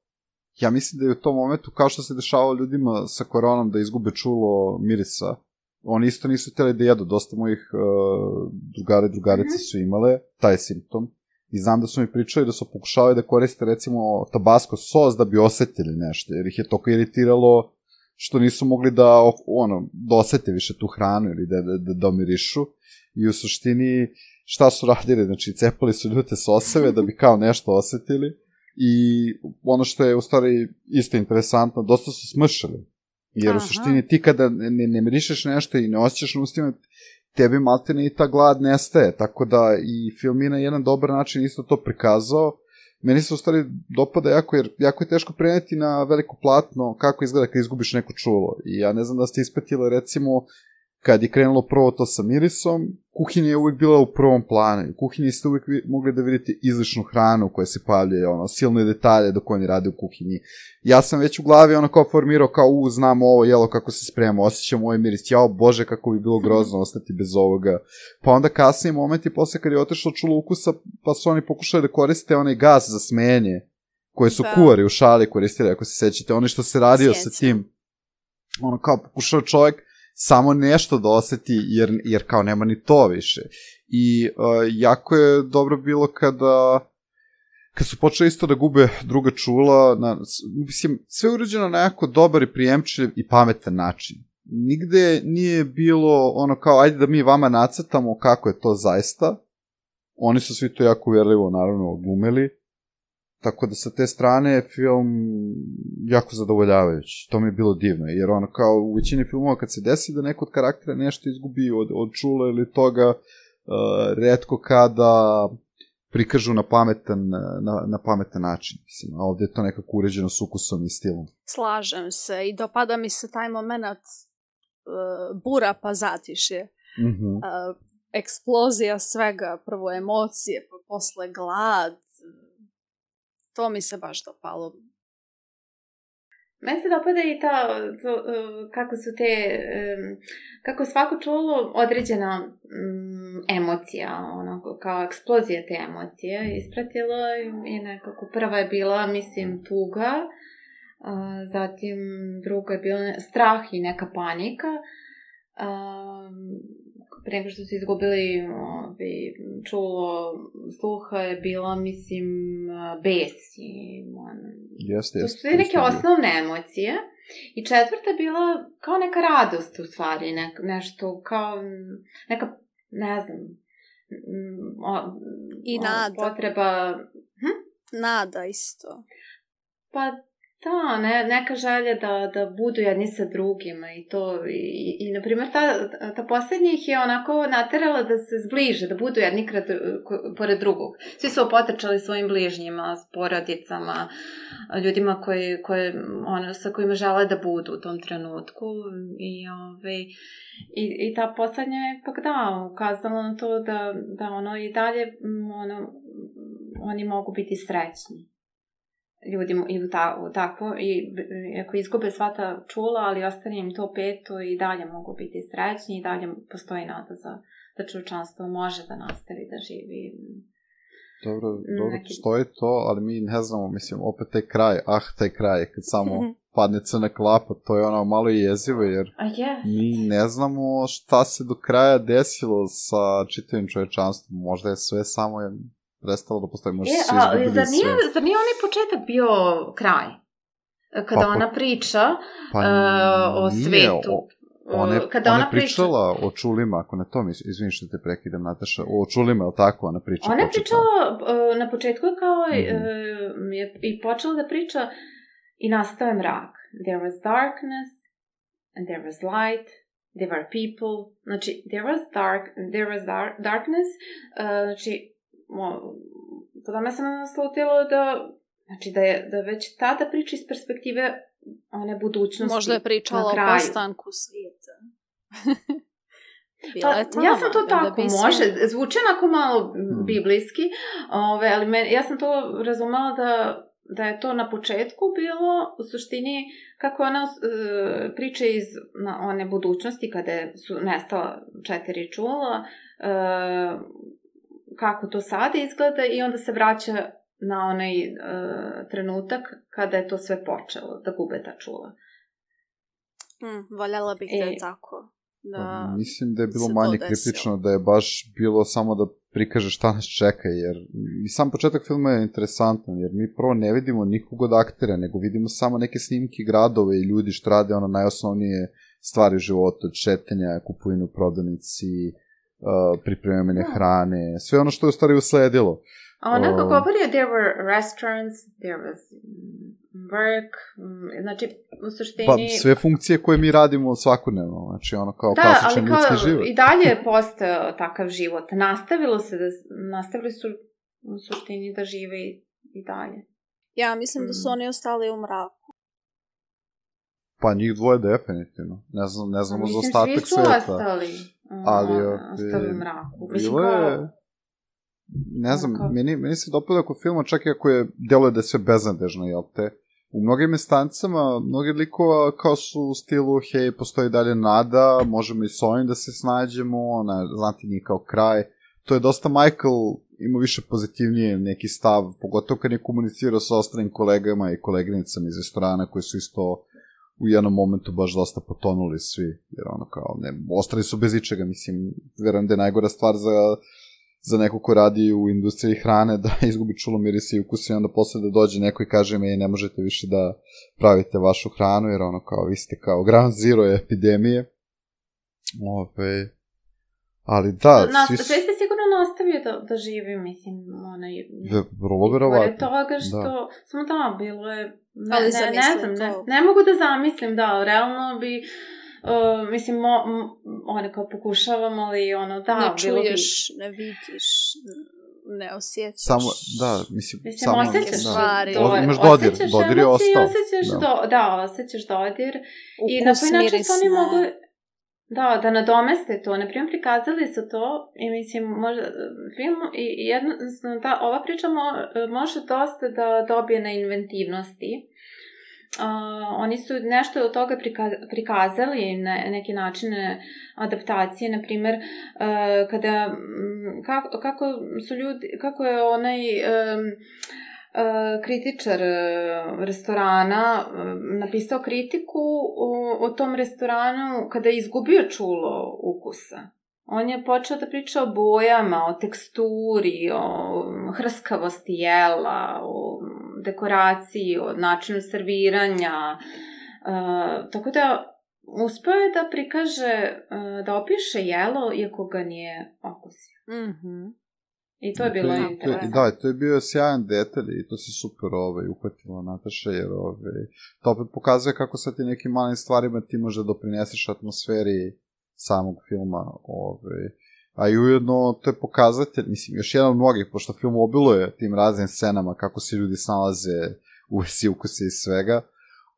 ja mislim da je u tom momentu, kao što se dešavalo ljudima sa koronom da izgube čulo mirisa, oni isto nisu htjeli da jedu, dosta mojih uh, drugara i drugarice su imale taj simptom, i znam da su mi pričali da su pokušavali da koriste, recimo, tabasco sos da bi osetili nešto, jer ih je toliko iritiralo što nisu mogli da, ono, da osete više tu hranu ili da, da, da omirišu. I u suštini, šta su radili? Znači, cepali su ljute soseve da bi kao nešto osetili. I ono što je u stvari isto interesantno, dosta su smršali. Jer Aha. u suštini ti kada ne, ne mirišeš nešto i ne osjećaš na ustima, tebi maltene i ta glad nestaje. Tako da i film je na jedan dobar način isto to prikazao. Meni se u stvari dopada jako, jer jako je teško preneti na veliko platno kako izgleda kad izgubiš neko čulo. I ja ne znam da ste ispratili, recimo, kad je krenulo prvo to sa mirisom, kuhinja je uvijek bila u prvom planu. U kuhinji ste uvijek mogli da vidite izličnu hranu koja se pavljuje, ono, silne detalje dok oni rade u kuhinji. Ja sam već u glavi ono kao formirao, kao, u, znam ovo jelo kako se sprema, osjećam ovaj miris, jao bože kako bi bilo grozno ostati bez ovoga. Pa onda kasnije momenti, posle kad je otišlo čulo ukusa, pa su oni pokušali da koriste onaj gas za smenje, koje su da. kuvari u šali koristili, ako se sećate, oni što se radio Sjećam. sa tim, ono kao pokušao čovjek samo nešto da oseti, jer, jer kao nema ni to više. I uh, jako je dobro bilo kada kad su počeli isto da gube druga čula, na, mislim, sve urađeno na jako dobar i prijemčiv i pametan način. Nigde nije bilo ono kao, ajde da mi vama nacrtamo kako je to zaista. Oni su svi to jako uvjerljivo, naravno, odglumili. Tako da sa te strane film jako zadovoljavajući. To mi je bilo divno, jer ono kao u većini filmova kad se desi da neko od karaktera nešto izgubi od, od čula ili toga, uh, retko kada prikažu na pametan, na, na pametan način. Mislim, a ovdje je to nekako uređeno s ukusom i stilom. Slažem se i dopada mi se taj moment uh, bura pa zatišje. Mm-hmm. Uh, eksplozija svega, prvo emocije, pa posle glad. To mi se baš dopalo. Meni se dopada i ta, to, kako su te, kako svako čulo određena um, emocija, ono, kao eksplozija te emocije ispratila i nekako prva je bila, mislim, tuga, a, zatim druga je bila strah i neka panika, a, pre nego što su izgubili ovi, čulo sluha je bila, mislim, bes i ono, Jeste, to jeste. su neke osnovne emocije. I četvrta je bila kao neka radost u stvari, ne, nešto kao neka, ne znam, o, I o, nada. potreba... Hm? Nada isto. Pa da, ne, neka želja da, da budu jedni sa drugima i to, i, i na primjer ta, ta posljednja ih je onako naterala da se zbliže, da budu jedni krat, pored drugog. Svi su opotrčali svojim bližnjima, s porodicama, ljudima koji, koji, ono, sa kojima žele da budu u tom trenutku i, ove, i, i ta posljednja je pak da, ukazala na to da, da ono i dalje ono, oni mogu biti srećni. Ljudima i u, ta, u takvo, i ako izgube sva ta čula, ali ostane im to peto i dalje mogu biti srećni i dalje postoji nada za da čovječanstvo može da nastavi da živi. Dobro, dobro Neki... postoji to, ali mi ne znamo, mislim, opet taj kraj, ah, taj kraj, kad samo padne crna klapa, to je ono malo i jezivo, jer yes. mi ne znamo šta se do kraja desilo sa čitavim čovječanstvom, možda je sve samo je prestalo da postoji, možda e, su a, izgubili zar nije, sve. Zar nije onaj početak bio kraj? Kada pa, ona priča pa, uh, o nije, svetu. O, one, Kada ona, ona pričala priča... o čulima, ako ne to mi, izvini što te prekidam, Nataša, o čulima, je li tako, ona priča? Ona je pričala, uh, na početku kao mm-hmm. uh, je i počela da priča i nastao je mrak. There was darkness, and there was light, there were people, znači, there was dark, there was dark, darkness, uh, znači, tada me sam naslutila da, znači, da je da već tada priča iz perspektive one budućnosti. Možda je pričala o postanku svijeta. Pa, ja sam to tako, može, zvuči onako malo biblijski, ove, ali men, ja sam to razumela da, da je to na početku bilo, u suštini, kako ona uh, priča iz na, one budućnosti, kada su nestala četiri čula, uh, kako to sada izgleda i onda se vraća na onaj uh, trenutak kada je to sve počelo, da gube ta čula. Hmm, voljela bih da je tako. Da pa, mislim da je bilo manje kritično, da je baš bilo samo da prikaže šta nas čeka, jer i sam početak filma je interesantan, jer mi prvo ne vidimo nikog od aktera, nego vidimo samo neke snimke gradove i ljudi što rade ono najosnovnije stvari u životu, od šetanja, kupovine u prodavnici, uh, pripremanje hrane, sve ono što je u stvari usledilo. A onako govori, there were restaurants, there was work, znači u suštini... Pa sve funkcije koje mi radimo svakodnevno, znači ono kao da, klasičan ljudski život. Da, ali i dalje je postao takav život. Nastavilo se da, nastavili su u suštini da žive i, i dalje. Ja mislim mm. da su oni ostali u mraku. Pa njih dvoje definitivno. Ne znam, ne znamo za ostatak sveta. Mislim, svi su ostali, um, ali, ostali u mraku. Mislim, kao... Ne znam, okay. meni, meni se dopada oko filma, čak i ako je, deluje da je sve beznadežno, jel te? U mnogim instancama, mnogi likova kao su u stilu, hej, postoji dalje nada, možemo i s ovim da se snađemo, ne, znati nije kao kraj. To je dosta Michael, ima više pozitivnije neki stav, pogotovo kad je komunicirao sa ostalim kolegama i koleginicama iz restorana koji su isto u jednom momentu baš dosta potonuli svi, jer ono kao, ne, ostali su bez ičega, mislim, verujem da je najgora stvar za... za neko ko radi u industriji hrane, da izgubi čulo mirisa i ukusa i onda posle da dođe neko i kaže mi ne možete više da pravite vašu hranu, jer ono kao vi ste kao ground zero epidemije. Ove, ali da, Nas, svi su... sve ste sigurno nastavio da, da živi, mislim, onaj... Vrlo verovatno. Pored toga što... Da. Samo da, bilo je... Ne, ali ne, ne znam, ne, ne mogu da zamislim, da, realno bi... Uh, mislim, mo, m, one kao pokušavam, ali ono, da, ne bilo bi... čuješ, ne vidiš, ne osjećaš. Samo, da, mislim, mislim samo... osjećaš stvari. Do, imaš dodir, osjećaš dodir je ostao. Osjećaš, da. Do, da, osjećaš dodir. Ukus, i na koji način su oni mogli... Da, da nadomeste to. Naprimjer, prikazali su to i mislim, možda, film i jednostavno, da, ova priča mo, može dosta da dobije na inventivnosti. Uh, oni su nešto od toga prikaz, prikazali na neki načine adaptacije, na primjer, uh, kada, kako, kako su ljudi, kako je onaj um, uh, kritičar uh, restorana uh, napisao kritiku o, o tom restoranu kada je izgubio čulo ukusa. On je počeo da priča o bojama, o teksturi, o hrskavosti jela, o dekoraciji, o načinu serviranja. Uh, tako da uspeo je da prikaže, uh, da opiše jelo iako ga nije okusio. Mhm. I to je bilo to, interesantno. Da, to je bio sjajan detalj i to se super ovaj, uhvatila Nataša, jer ovaj, to opet pokazuje kako sa ti nekim malim stvarima ti može doprineseš atmosferi samog filma. Ovaj. A i ujedno to je pokazatelj, mislim, još jedan od mnogih, pošto film obiluje tim raznim scenama kako se ljudi snalaze u vesi ukuse i svega.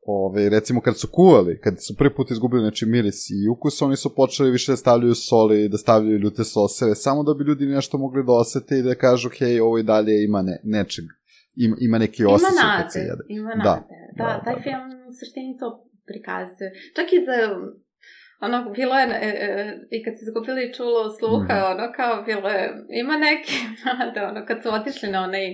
Ove, recimo kad su kuvali, kad su prvi put izgubili znači, miris i ukus, oni su počeli više da stavljaju soli, da stavljaju ljute soseve, samo da bi ljudi nešto mogli da osete i da kažu, hej, ovo i dalje ima ne, nečeg, ima, ima neki osjećaj kad se jede. Ima nade, da, da, da, taj da, film u suštini to prikazuje. Čak i za... Ono, bilo je, e, e, i kad se izgubili čulo sluha, mm-hmm. ono, kao, bilo je, ima neki, da, ono, kad su otišli na onaj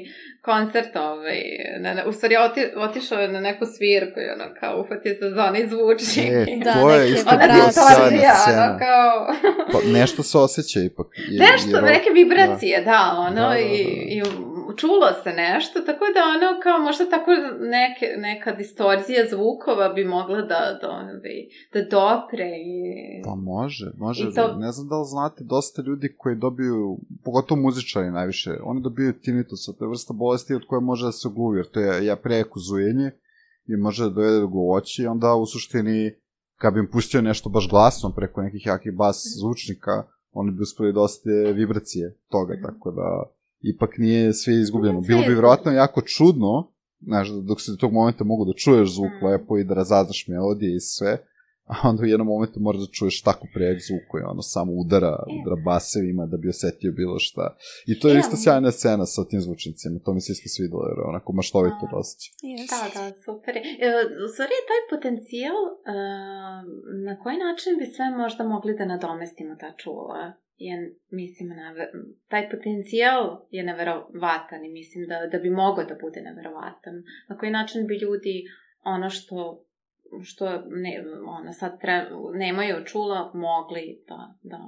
koncert, ovaj, na, na, u stvari, oti, otišao je na neku svirku i, ono, kao, uhvatio se za onaj zvučnik. E, da, to je isto bilo sjajna scena. Ono, kao... pa, nešto se osjeća ipak. Je, nešto, jer, neke vibracije, da, da ono, da, da, da. i, i čulo se nešto, tako da, ono, kao, možda tako neke, neka distorzija zvukova bi mogla da, da, da dopre i... Pa može, može. to... Ne znam da li znate, dosta ljudi koji dobiju, pogotovo muzičari najviše, oni dobiju tinnitus, to je vrsta bolesti od koje može da se ogluvi, jer to je ja prejako zujenje i može da dovede do gluvoći i onda u suštini, kad bi im pustio nešto baš glasno preko nekih jakih bas zvučnika, oni bi uspeli dosta vibracije toga, tako da ipak nije sve izgubljeno. Bilo bi vjerojatno jako čudno, znaš, dok se do tog momenta mogu da čuješ zvuk lepo i da razaznaš melodije i sve, a onda u jednom momentu moraš da čuješ tako prejak zvuk koji ono samo udara, udara basevima da bi osetio bilo šta. I to je isto sjajna scena sa tim zvučnicima, to mi se isto svidelo, jer onako maštovito dosta. Da, da, super. U stvari je taj potencijal, na koji način bi sve možda mogli da nadomestimo ta čula? Je, mislim, taj potencijal je neverovatan i mislim da, da bi mogao da bude neverovatan. Na koji način bi ljudi ono što što ne, ona sad tre, nemaju čula, mogli da, da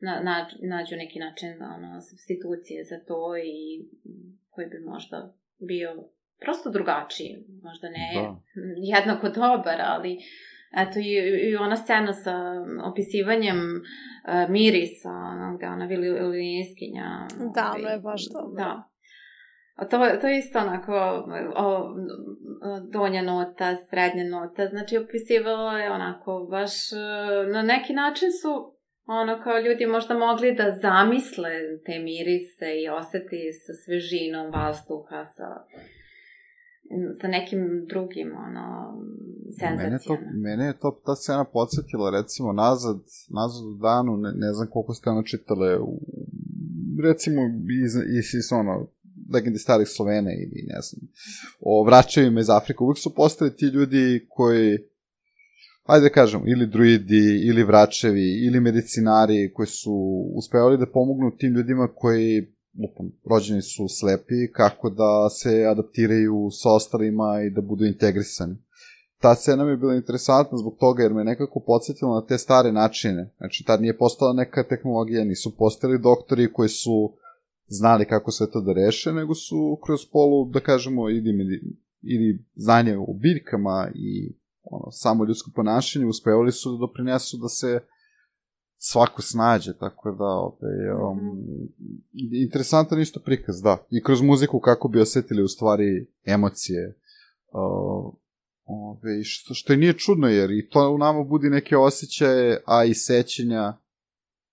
na, na, nađu neki način ono, substitucije za to i koji bi možda bio prosto drugačiji, možda ne da. jednako dobar, ali eto i, i ona scena sa opisivanjem uh, mirisa, ono, gde ona violiniskinja. Da, ono je baš dobro. Da. A to, to je isto onako o, donja nota, srednja nota, znači opisivalo je onako baš na neki način su ono kao ljudi možda mogli da zamisle te mirise i oseti sa svežinom vazduha, sa, sa nekim drugim ono, senzacijama. Mene, to, mene je to ta scena podsjetila recimo nazad, nazad u danu, ne, ne znam koliko ste ono čitale, u, recimo iz, iz, iz ono, legendi starih Slovena ili ne znam, o vraćajima iz Afrika, uvijek su postali ti ljudi koji, ajde da kažem, ili druidi, ili vraćevi, ili medicinari koji su uspevali da pomognu tim ljudima koji, lupam, rođeni su slepi, kako da se adaptiraju sa ostalima i da budu integrisani. Ta scena mi je bila interesantna zbog toga jer me nekako podsjetila na te stare načine. Znači, tad nije postala neka tehnologija, nisu postali doktori koji su znali kako sve to da reše, nego su kroz polu, da kažemo, ili, ili znanje o biljkama i ono, samo ljudsko ponašanje, uspevali su da doprinesu da se svako snađe, tako da, opet, um, interesantan isto prikaz, da. I kroz muziku kako bi osetili u stvari emocije, uh, ove, što, što je nije čudno, jer i to u nama budi neke osjećaje, a i sećenja,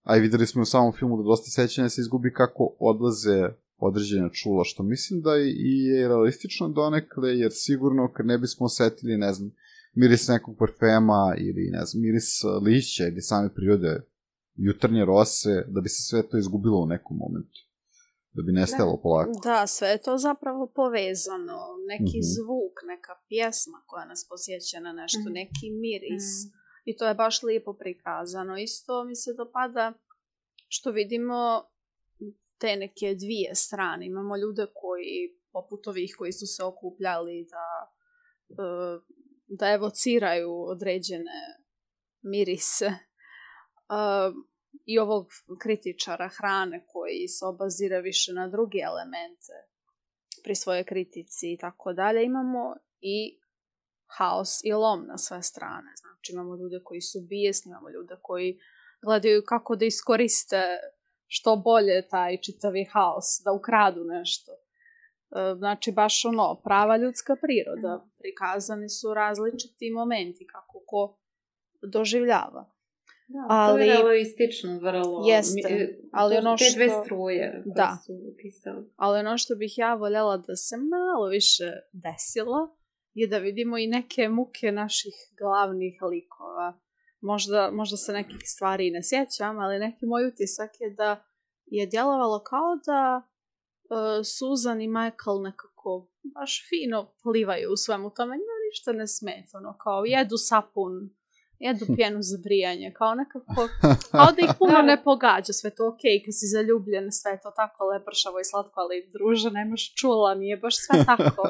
a i videli smo u samom filmu da dosta sećanja se izgubi kako odlaze određena čula, što mislim da i je realistično donekle, jer sigurno kad ne bismo osetili, ne znam, miris nekog parfema ili, ne znam, miris lišća ili same prirode, jutarnje rose, da bi se sve to izgubilo u nekom momentu. Da bi nestalo polako. Da, sve je to zapravo povezano. Neki Mhm. zvuk, neka pjesma koja nas posjeća na nešto, Mhm. neki miris. Mm. I to je baš lijepo prikazano. Isto mi se dopada što vidimo te neke dvije strane. Imamo ljude koji, poput ovih koji su se okupljali da, e, da evociraju određene mirise. E, I ovog kritičara hrane koji se obazira više na druge elemente pri svojoj kritici i tako dalje. Imamo i haos i lom na sve strane. Znači imamo ljude koji su bijesni, imamo ljude koji gledaju kako da iskoriste što bolje taj čitavi haos, da ukradu nešto. E, Znači baš ono, prava ljudska priroda. Prikazani su različiti momenti kako ko doživljava. Da, Ali- to je realistično vrlo. Jeste, Mi- ali to- ono te dve što- struje koje Da. su upisali. Ali ono što bih ja voljela da se malo više desilo je da vidimo i neke muke naših glavnih likova. Možda, možda se nekih stvari i ne sjećam, ali neki moj utisak je da je djelovalo kao da e, Susan i Michael nekako baš fino plivaju u svemu tome. Njima ništa ne smeta, ono kao jedu sapun, jedu pjenu za brijanje, kao nekako, kao da ih puno ne pogađa, sve to okej, kad si zaljubljen, sve je to tako lepršavo i slatko, ali druže, nemaš čula, nije baš sve tako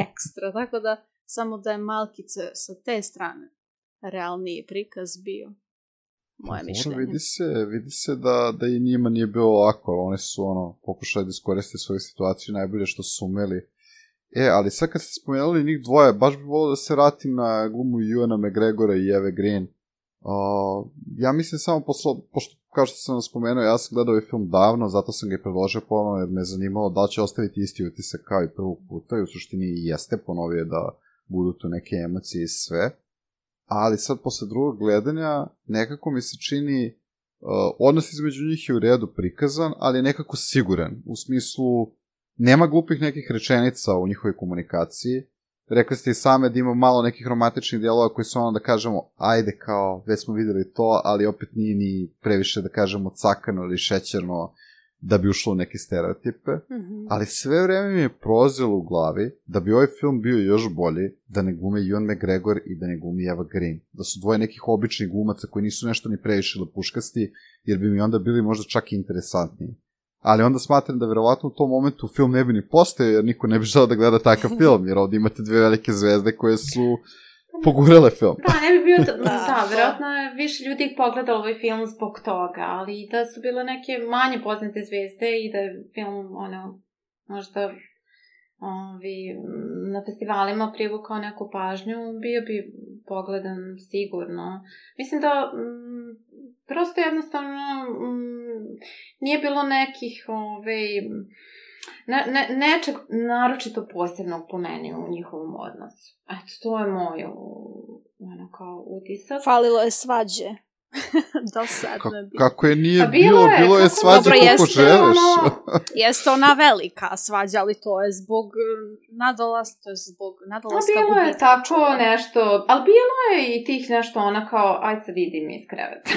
ekstra, tako da samo da je malkice sa te strane realniji prikaz bio, moje Dobro, mišljenje. Vidi se, vidi se da, da i njima nije bilo lako, ali oni su ono, pokušali da iskoriste svoju situaciju najbolje što su umeli. E, ali sad kad ste spomenuli njih dvoje, baš bi volio da se vratim na glumu Ewana McGregora i Eve Green. Uh, ja mislim samo poslo, pošto, kao što sam vam spomenuo, ja sam gledao ovaj film davno, zato sam ga i predložio ponovno, jer me zanimalo da li će ostaviti isti utisak kao i prvog puta, i u suštini i jeste, ponovio da budu tu neke emocije i sve. Ali sad, posle drugog gledanja, nekako mi se čini, uh, odnos između njih je u redu prikazan, ali je nekako siguran, u smislu, nema glupih nekih rečenica u njihovoj komunikaciji. Rekli ste i same da ima malo nekih romantičnih dijelova koji su ono da kažemo, ajde kao, već smo videli to, ali opet nije ni previše da kažemo cakano ili šećerno da bi ušlo u neke stereotipe. Mhm. Ali sve vreme mi je prolazilo u glavi da bi ovaj film bio još bolji da ne glume Ewan McGregor i da ne glumi Eva Green. Da su dvoje nekih običnih glumaca koji nisu nešto ni previše lepuškasti, jer bi mi onda bili možda čak i interesantniji. Ali onda smatram da verovatno u tom momentu film ne bi ni postojao, jer niko ne bi želeo da gleda takav film, jer ovdje imate dve velike zvezde koje su pogurele film. Da, ne bi bio, to, Da, da, to- vjerojatno je više ljudi pogledalo ovaj film zbog toga, ali da su bile neke manje poznate zvezde i da je film, ono, možda ovi, na festivalima privukao neku pažnju, bio bi pogledan sigurno. Mislim da m, prosto jednostavno m, nije bilo nekih ovaj, ne, ne, nečeg naročito posebnog po meni u njihovom odnosu. Eto, to je moj ono, kao utisak. Falilo je svađe. Dosadno Ka- je bilo. kako je nije A bilo bilo, je, bilo je kako- svađa Dobro, koliko jeste, želiš. ono- Jeste ona velika svađa, ali to je zbog eh, nadolaska, to je zbog A nadolaska bilo je gubitka tako čula. nešto, ali bilo je i tih nešto ona kao, aj sad idim iz kreveta.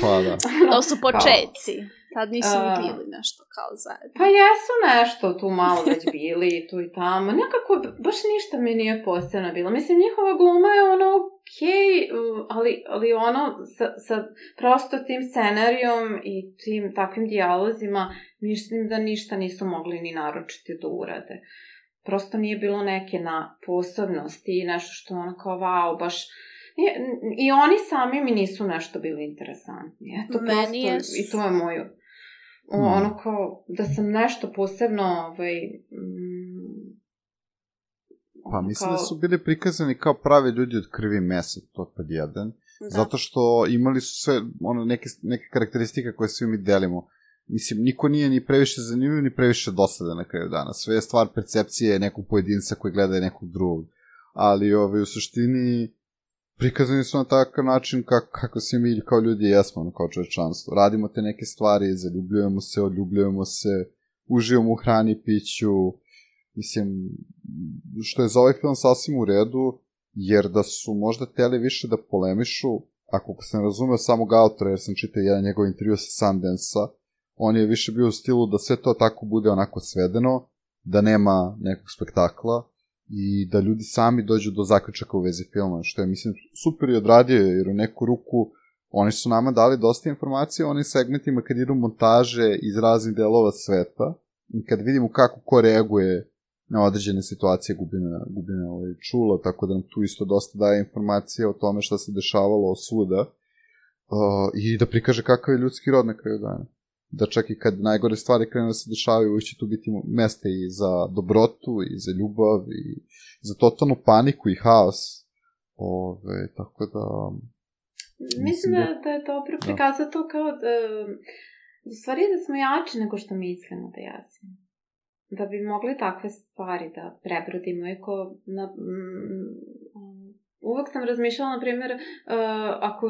Pa da. To su početci. Tad nisu ni A. bili nešto kao zajedno. Pa jesu nešto tu malo već bili, tu i tamo. Nekako, baš ništa mi nije posebno bilo. Mislim, njihova gluma je ono okej, okay, ali, ali ono sa, sa prosto tim scenarijom i tim takvim dijalozima, mislim da ništa nisu mogli ni naročiti da urade. Prosto nije bilo neke na posebnosti i nešto što ono kao, wow, baš... I, I oni sami mi nisu nešto bili interesantni. Eto, Meni prosto, jesu. i to je moju... O, Hmm. ono kao, da sam nešto posebno, ovaj... Mm, Pa ono mislim kao- da su bili prikazani kao pravi ljudi od krvi i mesa, to pod jedan. Da. Zato što imali su sve ono, neke, neke karakteristike koje svi mi delimo. Mislim, niko nije ni previše zanimljiv, ni previše dosadan na kraju dana. Sve je stvar percepcije nekog pojedinca koji gleda nekog drugog. Ali ovaj, u suštini prikazani su na takav način kako, kako svi mi kao ljudi jesmo, ono, kao čovečanstvo. Radimo te neke stvari, zaljubljujemo se, odljubljujemo se, uživamo u hrani, piću. Mislim, što je za ovaj film sasvim u redu, jer da su možda teli više da polemišu, ako sam razumeo samog autora, jer sam čitao jedan njegov intervju sa Sundance-a, on je više bio u stilu da sve to tako bude onako svedeno, da nema nekog spektakla i da ljudi sami dođu do zaključaka u vezi filma, što je, mislim, super i odradio, jer u neku ruku oni su nama dali dosta informacije o onim segmentima kad idu montaže iz raznih delova sveta i kad vidimo kako ko reaguje na određene situacije gubine, gubine ovaj, čula, tako da nam tu isto dosta daje informacije o tome šta se dešavalo svuda uh, i da prikaže kakav je ljudski rod na kraju dana. Da čak i kad najgore stvari krenu da se dešavaju, uvijek će tu biti mesta i za dobrotu, i za ljubav, i za totalnu paniku i haos. Ove, tako da... Mislim da, da je dobro prikazati to kao da... U stvari da smo jači nego što mislimo da jesmo. Da bi mogli takve stvari da prebrodimo. Eko, na, mm, uvek sam razmišljala, na primjer, uh, ako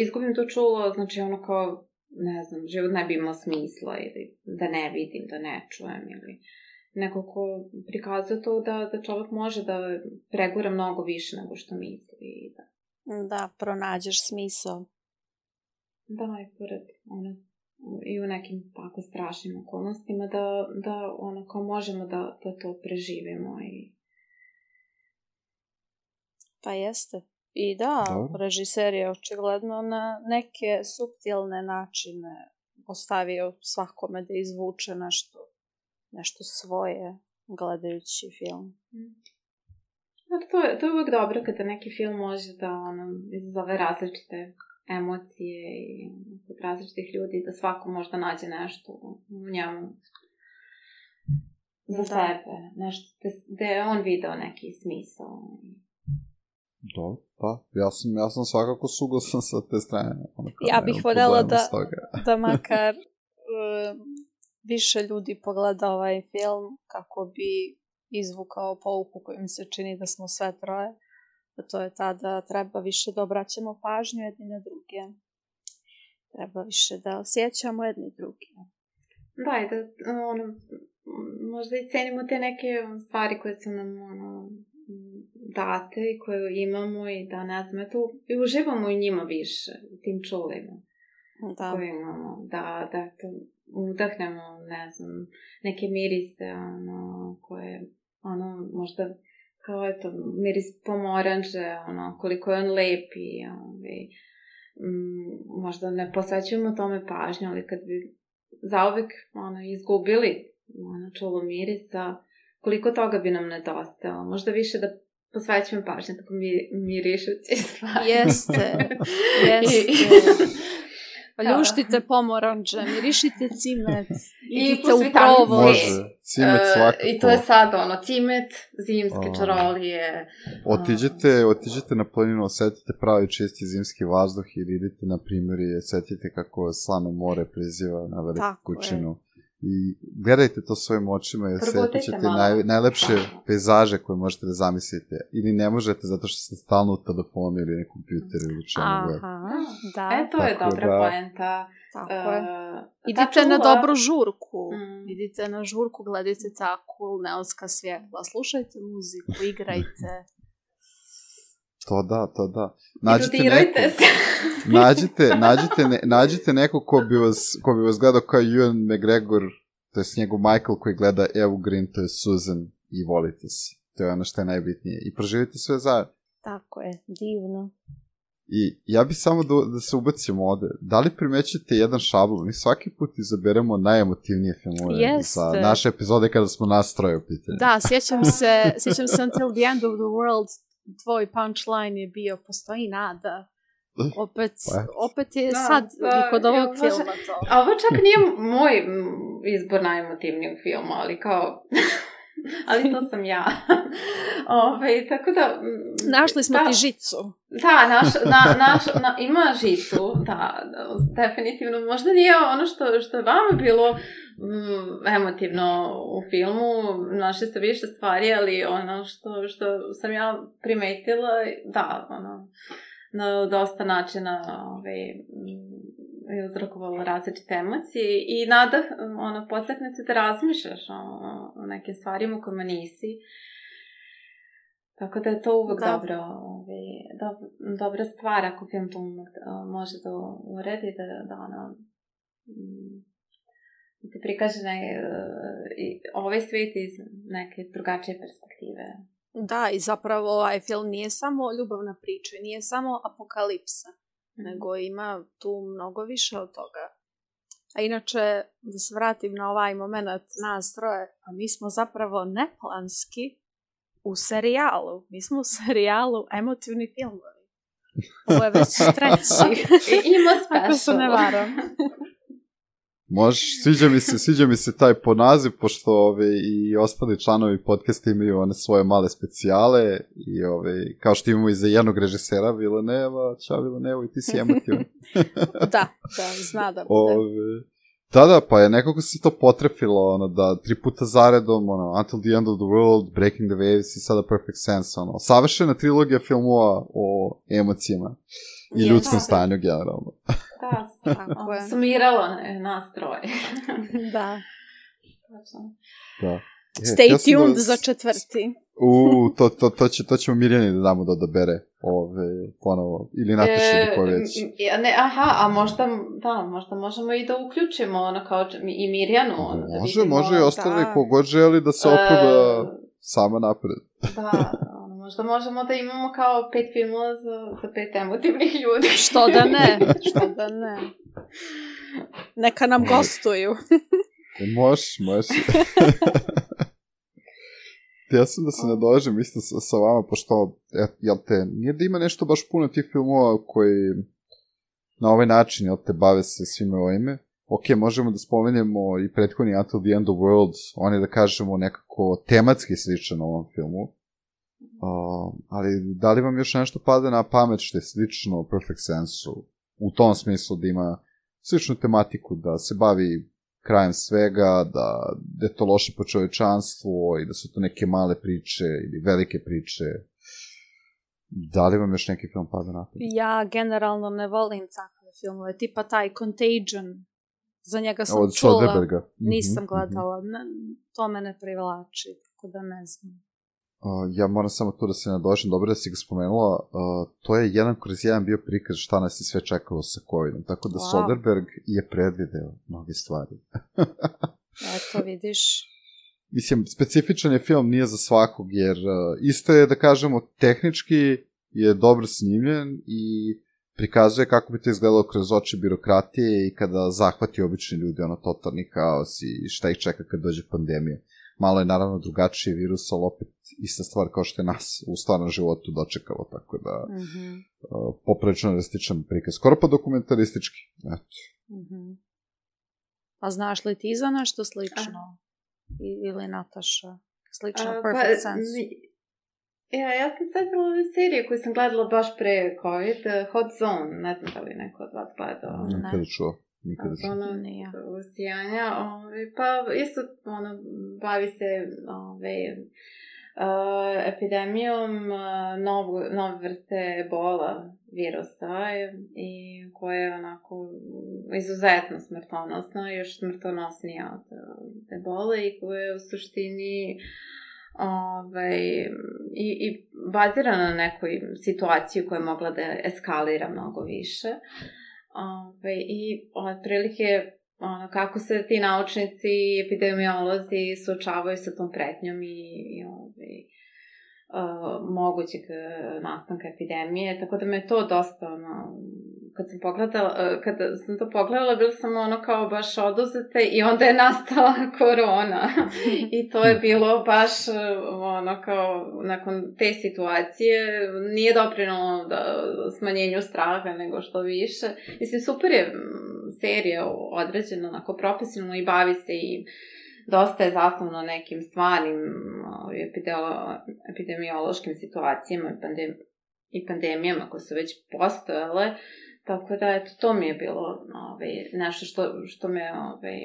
izgubim to čulo, znači ono kao, ne znam, život ne bi imao smisla ili da ne vidim, da ne čujem ili nekako prikazuje to da, da čovjek može da pregura mnogo više nego što misli. Da, da pronađeš smisao. Da, i pored ono, i u nekim tako strašnim okolnostima da, da ono kao možemo da, da to preživimo i... Pa jeste. I da, Dobro. režiser je očigledno na neke suptilne načine ostavio svakome da izvuče nešto, nešto svoje gledajući film. Znači, to, je, to je uvijek dobro kada neki film može da ono, izazove različite emocije i kod različitih ljudi, da svako možda nađe nešto u njemu za da. sebe, nešto da je on video neki smisao. Dobro, pa, ja sam, ja sam svakako suglasan sa te strane. Ja bih voljela da, da makar um, više ljudi pogleda ovaj film kako bi izvukao pouku koju mi se čini da smo sve troje. A to je ta da treba više da obraćamo pažnju jedni na druge. Treba više da osjećamo jedni drugi. Da, i da ono, možda i cenimo te neke stvari koje su nam ono, date i koje imamo i da ne znam, eto, i uživamo i njima više, u tim čulima. Da. Koje imamo, da, da to udahnemo, ne znam, neke mirise, ono, koje, ono, možda kao eto, miris pomoranže, ono, koliko je on lepi, ovaj, m, možda ne posvećujemo tome pažnju, ali kad bi zauvek, ono, izgubili, ono, čulo mirisa, koliko toga bi nam nedostalo, možda više da posvećujem pažnju tako mi, mirišući stvari. Jeste, jeste. Ljuštite pomoranđe, mirišite cimet, idite u provoz. Može, cimet svakako. Uh, I to je sad ono, cimet, zimske uh, čarolije. Otiđete, otiđete na planinu, osetite pravi čisti zimski vazduh ili idite na primjer i osetite kako slano more priziva na veliku kućinu. I gledajte to svojim očima i osjetit ćete naj, najlepše pejzaže koje možete da zamislite. Ili ne možete zato što ste stalno u telefonu ili na kompjuteru ili čemu. Aha, da. E, to je dobra da, poenta. Tako je. Uh, idite čuva... na dobru žurku. Mm. Idite na žurku, gledajte takvu neonska svjetla. Slušajte muziku, igrajte. To da, to da. Nađite neko, se. nađite, nađite, ne, nađite neko ko bi vas, ko bi vas gledao kao Ewan McGregor, to je njegov Michael koji gleda Evu Green, to je Susan i volite se. To je ono što je najbitnije. I proživite sve zajedno. Tako je, divno. I ja bih samo da, da se ubacimo ovde. Da li primećete jedan šablon? Mi svaki put izaberemo najemotivnije filmove za naše epizode kada smo nas troje u pitanju. Da, sjećam se, sjećam se Until the End of the World. Tvoj punchline je bio, postoji nada. Opet, opet je da, sad da, i kod ovog ja, filma to. A ovo čak nije moj izbor najemotivnijeg filma, ali kao... ali to sam ja. Ove, tako da... Našli smo da, ti žicu. Da, naš, na, naš, na, ima žicu, da, da, definitivno. Možda nije ono što, što je vama bilo mm, emotivno u filmu, našli ste više stvari, ali ono što, što sam ja primetila, da, ono, na dosta načina ove, je uzrokovalo različite emocije i nada, ono, podstakne te da razmišljaš o, o nekim stvarima u kojima nisi. Tako da je to uvek Da. dobro, ovaj, do, dobra stvar ako film to može da uredi, da, da ono, da ti prikaže ne, ovaj svijet iz neke drugačije perspektive. Da, i zapravo ovaj film nije samo ljubavna priča, nije samo apokalipsa, mm. nego ima tu mnogo više od toga. A inače, da se vratim na ovaj moment nas troje, a mi smo zapravo neplanski u serijalu. Mi smo u serijalu emotivni filmovi. Ovo je već treći. Ima special. Ako se ne varam. Možeš, sviđa mi se, sviđa mi se taj ponaziv, pošto ove, i ostali članovi podcasta imaju one svoje male specijale i ove, kao što imamo i za jednog režisera, Villeneuva, čao Villeneuva i ti si emotivan. Da, da, zna da bude. Ove, da, da, pa je nekako se to potrefilo, ono, da tri puta zaredom, ono, Until the End of the World, Breaking the Waves i sada Perfect Sense, ono, savršena trilogija filmova o emocijama i Je, ljudskom da. stanju generalno. Da, Tako je. sumiralo ne, nas troje. Da. Da. E, Stay ja sam tuned da- za četvrti. U, to, to, to, će, to ćemo Mirjani da damo da odabere ove, ponovo, ili Nataša ili ko već. E, ne, aha, a možda, da, možda možemo i da uključimo ono kao i Mirjanu. Ono, da Može, vidimo, može i ostali da. kogod želi da se oproba sama napred. Da, ono, možda možemo da imamo kao pet filmova za, za pet emotivnih ljudi. Što da ne, što da ne. Neka nam gostuju. E, Možeš, možeš. Ja sam da se nadovežem isto sa, sa vama, pošto, et, jel te, nije da ima nešto baš puno tih filmova koji na ovaj način, jel te, bave se svime ovime. Ok, možemo da spomenemo i prethodni Until the End of the World, on je, da kažemo, nekako tematski sličan ovom filmu. Uh, ali da li vam još nešto pada na pamet što je slično Perfect Sense-u? U tom smislu da ima sličnu tematiku, da se bavi krajem svega, da, da je to loše po čovečanstvu i da su to neke male priče ili velike priče. Da li vam još neki film pada na pamet? Ja generalno ne volim takve filmove, tipa taj Contagion. Za njega sam Od čula, Soderberga. nisam Mhm, gledala, ne, to me ne privlači, tako da ne znam. Uh, ja moram samo tu da se nadošem, dobro da si ga spomenula, uh, to je jedan kroz jedan bio prikaz šta nas je sve čekalo sa covidom, tako da Wow. Soderberg je predvideo mnoge stvari. Eto, vidiš. Mislim, specifičan je film, nije za svakog, jer uh, isto je, da kažemo, tehnički je dobro snimljen i prikazuje kako bi to izgledalo kroz oči birokratije i kada zahvati obični ljudi, ono, totalni haos i šta ih čeka kad dođe pandemija. Malo je naravno drugačiji virus, ali opet ista stvar kao što je nas u stvarnom životu dočekalo, tako da Mhm, uh, poprilično realističan prikaz. Skoro pa dokumentaristički. Eto. mhm. A znaš li ti za nešto slično? I, ili Nataša? Slično A, Perfect pa, Sense? ni- Ja, ja sam setila ove serije koje sam gledala baš pre COVID, uh, Hot Zone, ne znam da li je neko od vas gledao. Ne. Nikada čuo. Nikada čuo. Ono, Nije. usijanja, ovaj, pa isto, ono, bavi se, ovaj, uh, epidemijom uh, novu, nove vrste ebola virusa i koja je onako izuzetno smrtonosna, još smrtonosnija od uh, ebola i koja je u suštini Ove, i, i bazirana na nekoj situaciji koja je mogla da eskalira mnogo više. Ove, I otprilike ono, kako se ti naučnici i epidemiolozi suočavaju sa tom pretnjom i, i ove, uh, mogućeg nastanka epidemije. Tako da me je to dosta ono, kad sam pogledala, kad sam to pogledala, bila sam ono kao baš oduzete i onda je nastala korona. I to je bilo baš ono kao nakon te situacije nije doprinalo da smanjenju straha nego što više. Mislim, super je serija određena onako profesionalno i bavi se i dosta je zasnovno nekim stvarnim epidemiološkim situacijama i, pandem, i pandemijama koje su već postojale. Tako da, eto, to mi je bilo ovaj, nešto što, što me, ovaj,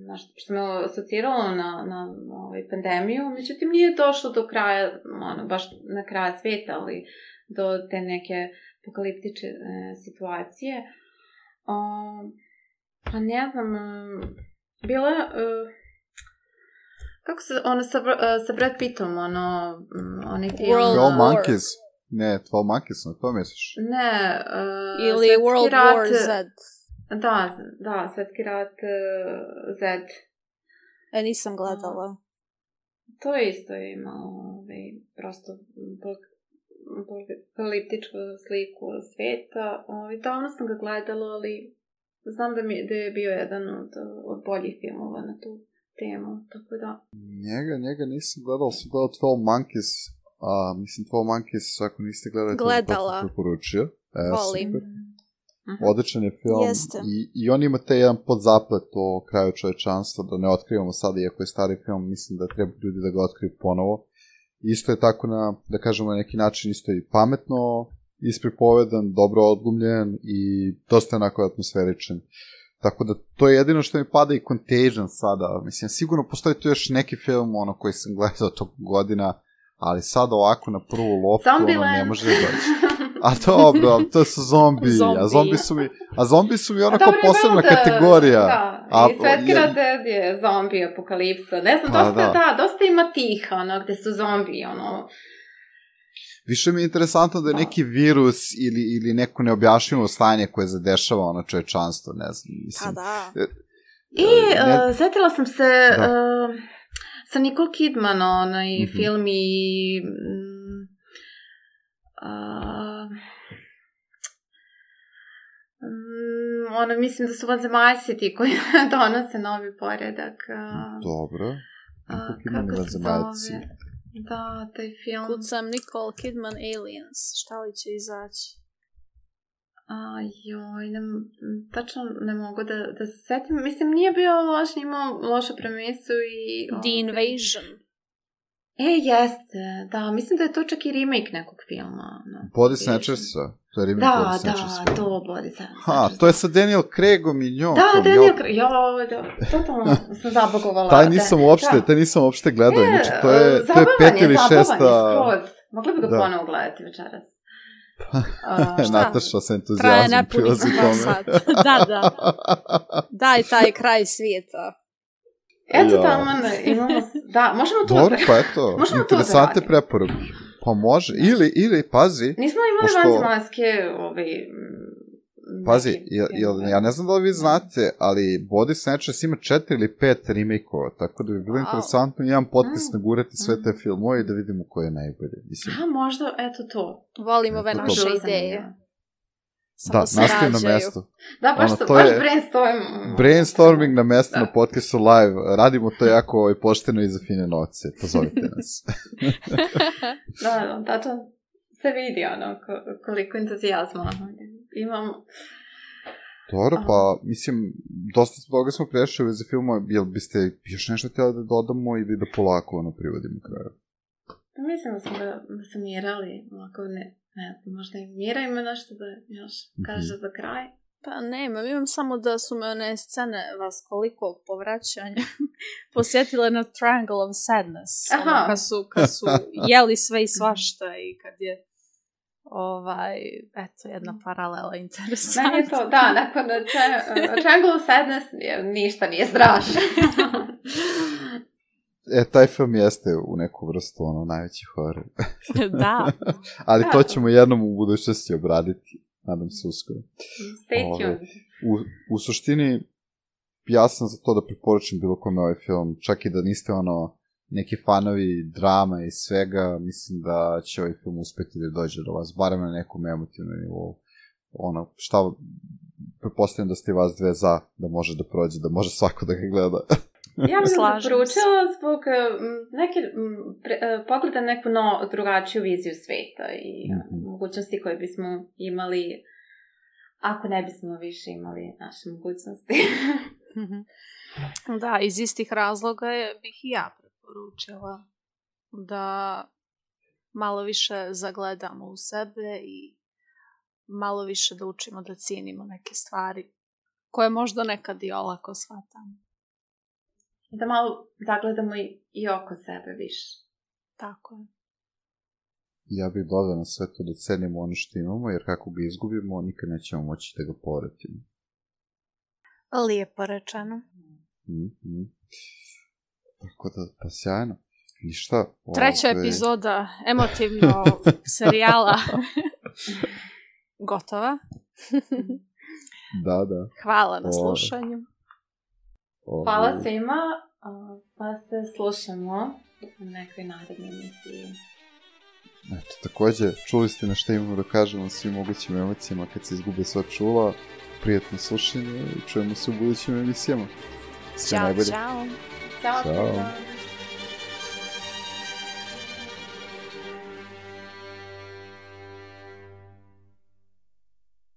nešto, što me asociralo na, na ovaj, pandemiju. Međutim, nije došlo do kraja, ono, baš na kraja sveta, ali do te neke apokaliptične e, situacije. O, pa ne znam, bila... E, Kako se, ono sa, sa Brad Pittom, ono, onaj film... twelve Monkeys. Ne, twelve Monkeys, na to misliš? Ne, uh, ili World rat, War Z. Da, da, Svetski rat uh, Z. E, nisam gledala. To je isto imao ovaj, prosto apokaliptičku sliku sveta. Ovaj, davno sam ga gledala, ali znam da, mi, da je bio jedan od, od boljih filmova na tu temu, tako da... Njega, njega nisam gledala, sam gledala twelve Monkeys, a mislim twelve Monkeys, ako niste gledali, gledala. To preporučio. E, volim. Super. Odličan je film. Jeste. I, i on ima taj jedan podzaplet o kraju čovečanstva, da ne otkrivamo sada, iako je stari film, mislim da treba ljudi da ga otkriju ponovo. Isto je tako na, da kažemo, na neki način isto i pametno ispripovedan, dobro odglumljen i dosta onako atmosferičan. Tako da to je jedino što mi pada i Contagion sada. Mislim, sigurno postoji tu još neki film ono koji sam gledao tog godina, ali sad ovako na prvu loptu ono ne može da doći. A dobro, to su zombi, zombi. a zombi su mi, a zombi su mi onako posebna da, kategorija. Da, a, i Svetski rat Z je zombi apokalipsa. Ne znam, dosta, da. da, dosta ima tih, ono, gde su zombi, ono... Više mi je interesantno da je neki virus ili, ili neko neobjašnjivo stanje koje zadešava ono čovečanstvo, ne znam, mislim. Pa da. I ne... uh, setila sam se uh, sa Nicole Kidman, onaj mm-hmm. film i... Um, uh, um, ono, mislim da su vanzemaljci ti koji donose novi poredak. Uh, Dobro. Uh, kako se zove? Da, taj film. Kucam Nicole Kidman Aliens. Šta li će izaći? A, joj, ne, tačno ne mogu da, da se setim. Mislim, nije bio loš, imao lošu premisu i... The okay. Invasion. E, jeste, da. Mislim da je to čak i remake nekog filma. No, Body Snatchersa. To je remake da, Body Snatchersa. Da, da, to Body Snatchersa. Ha, to je sa Daniel Craigom i njom. Da, Daniel Craig, jo, da, totalno sam zabagovala. taj nisam uopšte, taj nisam uopšte gledao. E, Inače, to je, to je pet ili šesta... Zabavan je, skroz. Mogli bi ga da. ponovo gledati večeras. Uh, Nataša sa entuzijazmom prilazi tome. Da, da. Daj taj kraj svijeta. Eto tamo imamo... Da, možemo to... Dobro, pa eto, interesante preporuke. Pa može, ili, ili, pazi... Nismo imali pošto... vanzemaljske, ovaj... Pazi, jel, jel, ja ne znam da li vi znate, ali Body Snatchers ima četiri ili pet remake-ova, tako da bi bilo wow. interesantno jedan podcast mm. nagurati sve te filmove i da vidimo ko je najbolje. Mislim. A, možda, eto to. Volim ove naše to. ideje. Da, nastavim na mesto. Da, baš, ono, to baš je brainstorming. Brainstorming na mesto da. na podcastu live. Radimo to jako ovaj, pošteno i za fine novce. Pozovite nas. Da, da, to se vidi ono koliko entuzijazma imamo. Dobro, pa mislim, dosta toga smo prešli za filmova. Jel biste još nešto htjeli da dodamo ili da polako ono privodimo kraju? Mislim da smo da, da se mirali, ovako ne, ne znam, možda i Mira ima nešto da još kaže mm-hmm. za kraj. Pa nema, imam samo da su me one scene vas koliko povraćanja posjetile na Triangle of Sadness. Ono, kad su, kad su jeli sve i svašta i kad je ovaj, eto, jedna paralela interesantna. Meni je to, da, nakon Triangle of Sadness ništa nije strašno. E, taj film jeste u neku vrstu, ono, najveći horor. Da. Ali to ćemo jednom u budućnosti obraditi. Nadam se uskoro. Stay tuned. U, u suštini, ja sam za to da preporučim bilo kome ovaj film. Čak i da niste, ono, neki fanovi drama i svega, mislim da će ovaj film uspeti da dođe do vas, barem na nekom emotivnom nivou. Ono, šta, prepostavljam da ste vas dve za, da može da prođe, da može svako da ga gleda. Ja bih ga preporučila zbog neke, pre, pogleda neku no, drugačiju viziju sveta i mm-hmm. mogućnosti koje bismo imali ako ne bismo više imali naše mogućnosti. Da, iz istih razloga je, bih i ja preporučila da malo više zagledamo u sebe i malo više da učimo da cijenimo neke stvari koje možda nekad i olako shvatamo. Da malo zagledamo i, i oko sebe više. Tako je. Ja bih dodao na sve to da cenimo ono što imamo, jer kako ga izgubimo, nikad nećemo moći da ga povratimo. Lijepo rečeno. Mm-hmm. Tako da, pa sjajno. Ništa. Treća ove... epizoda emotivno serijala gotova. Da, da. Hvala na ove... slušanju. Ove... Hvala svima, pa se slušamo u nekoj narednoj emisiji. Eto, takođe, čuli ste na šta imamo da kažemo svim mogućim emocijama kad se izgube sva čula. Prijatno slušanje i čujemo se u budućim emisijama. Sve Ćao, najbolje. čao. Ćao, Ćao. svima.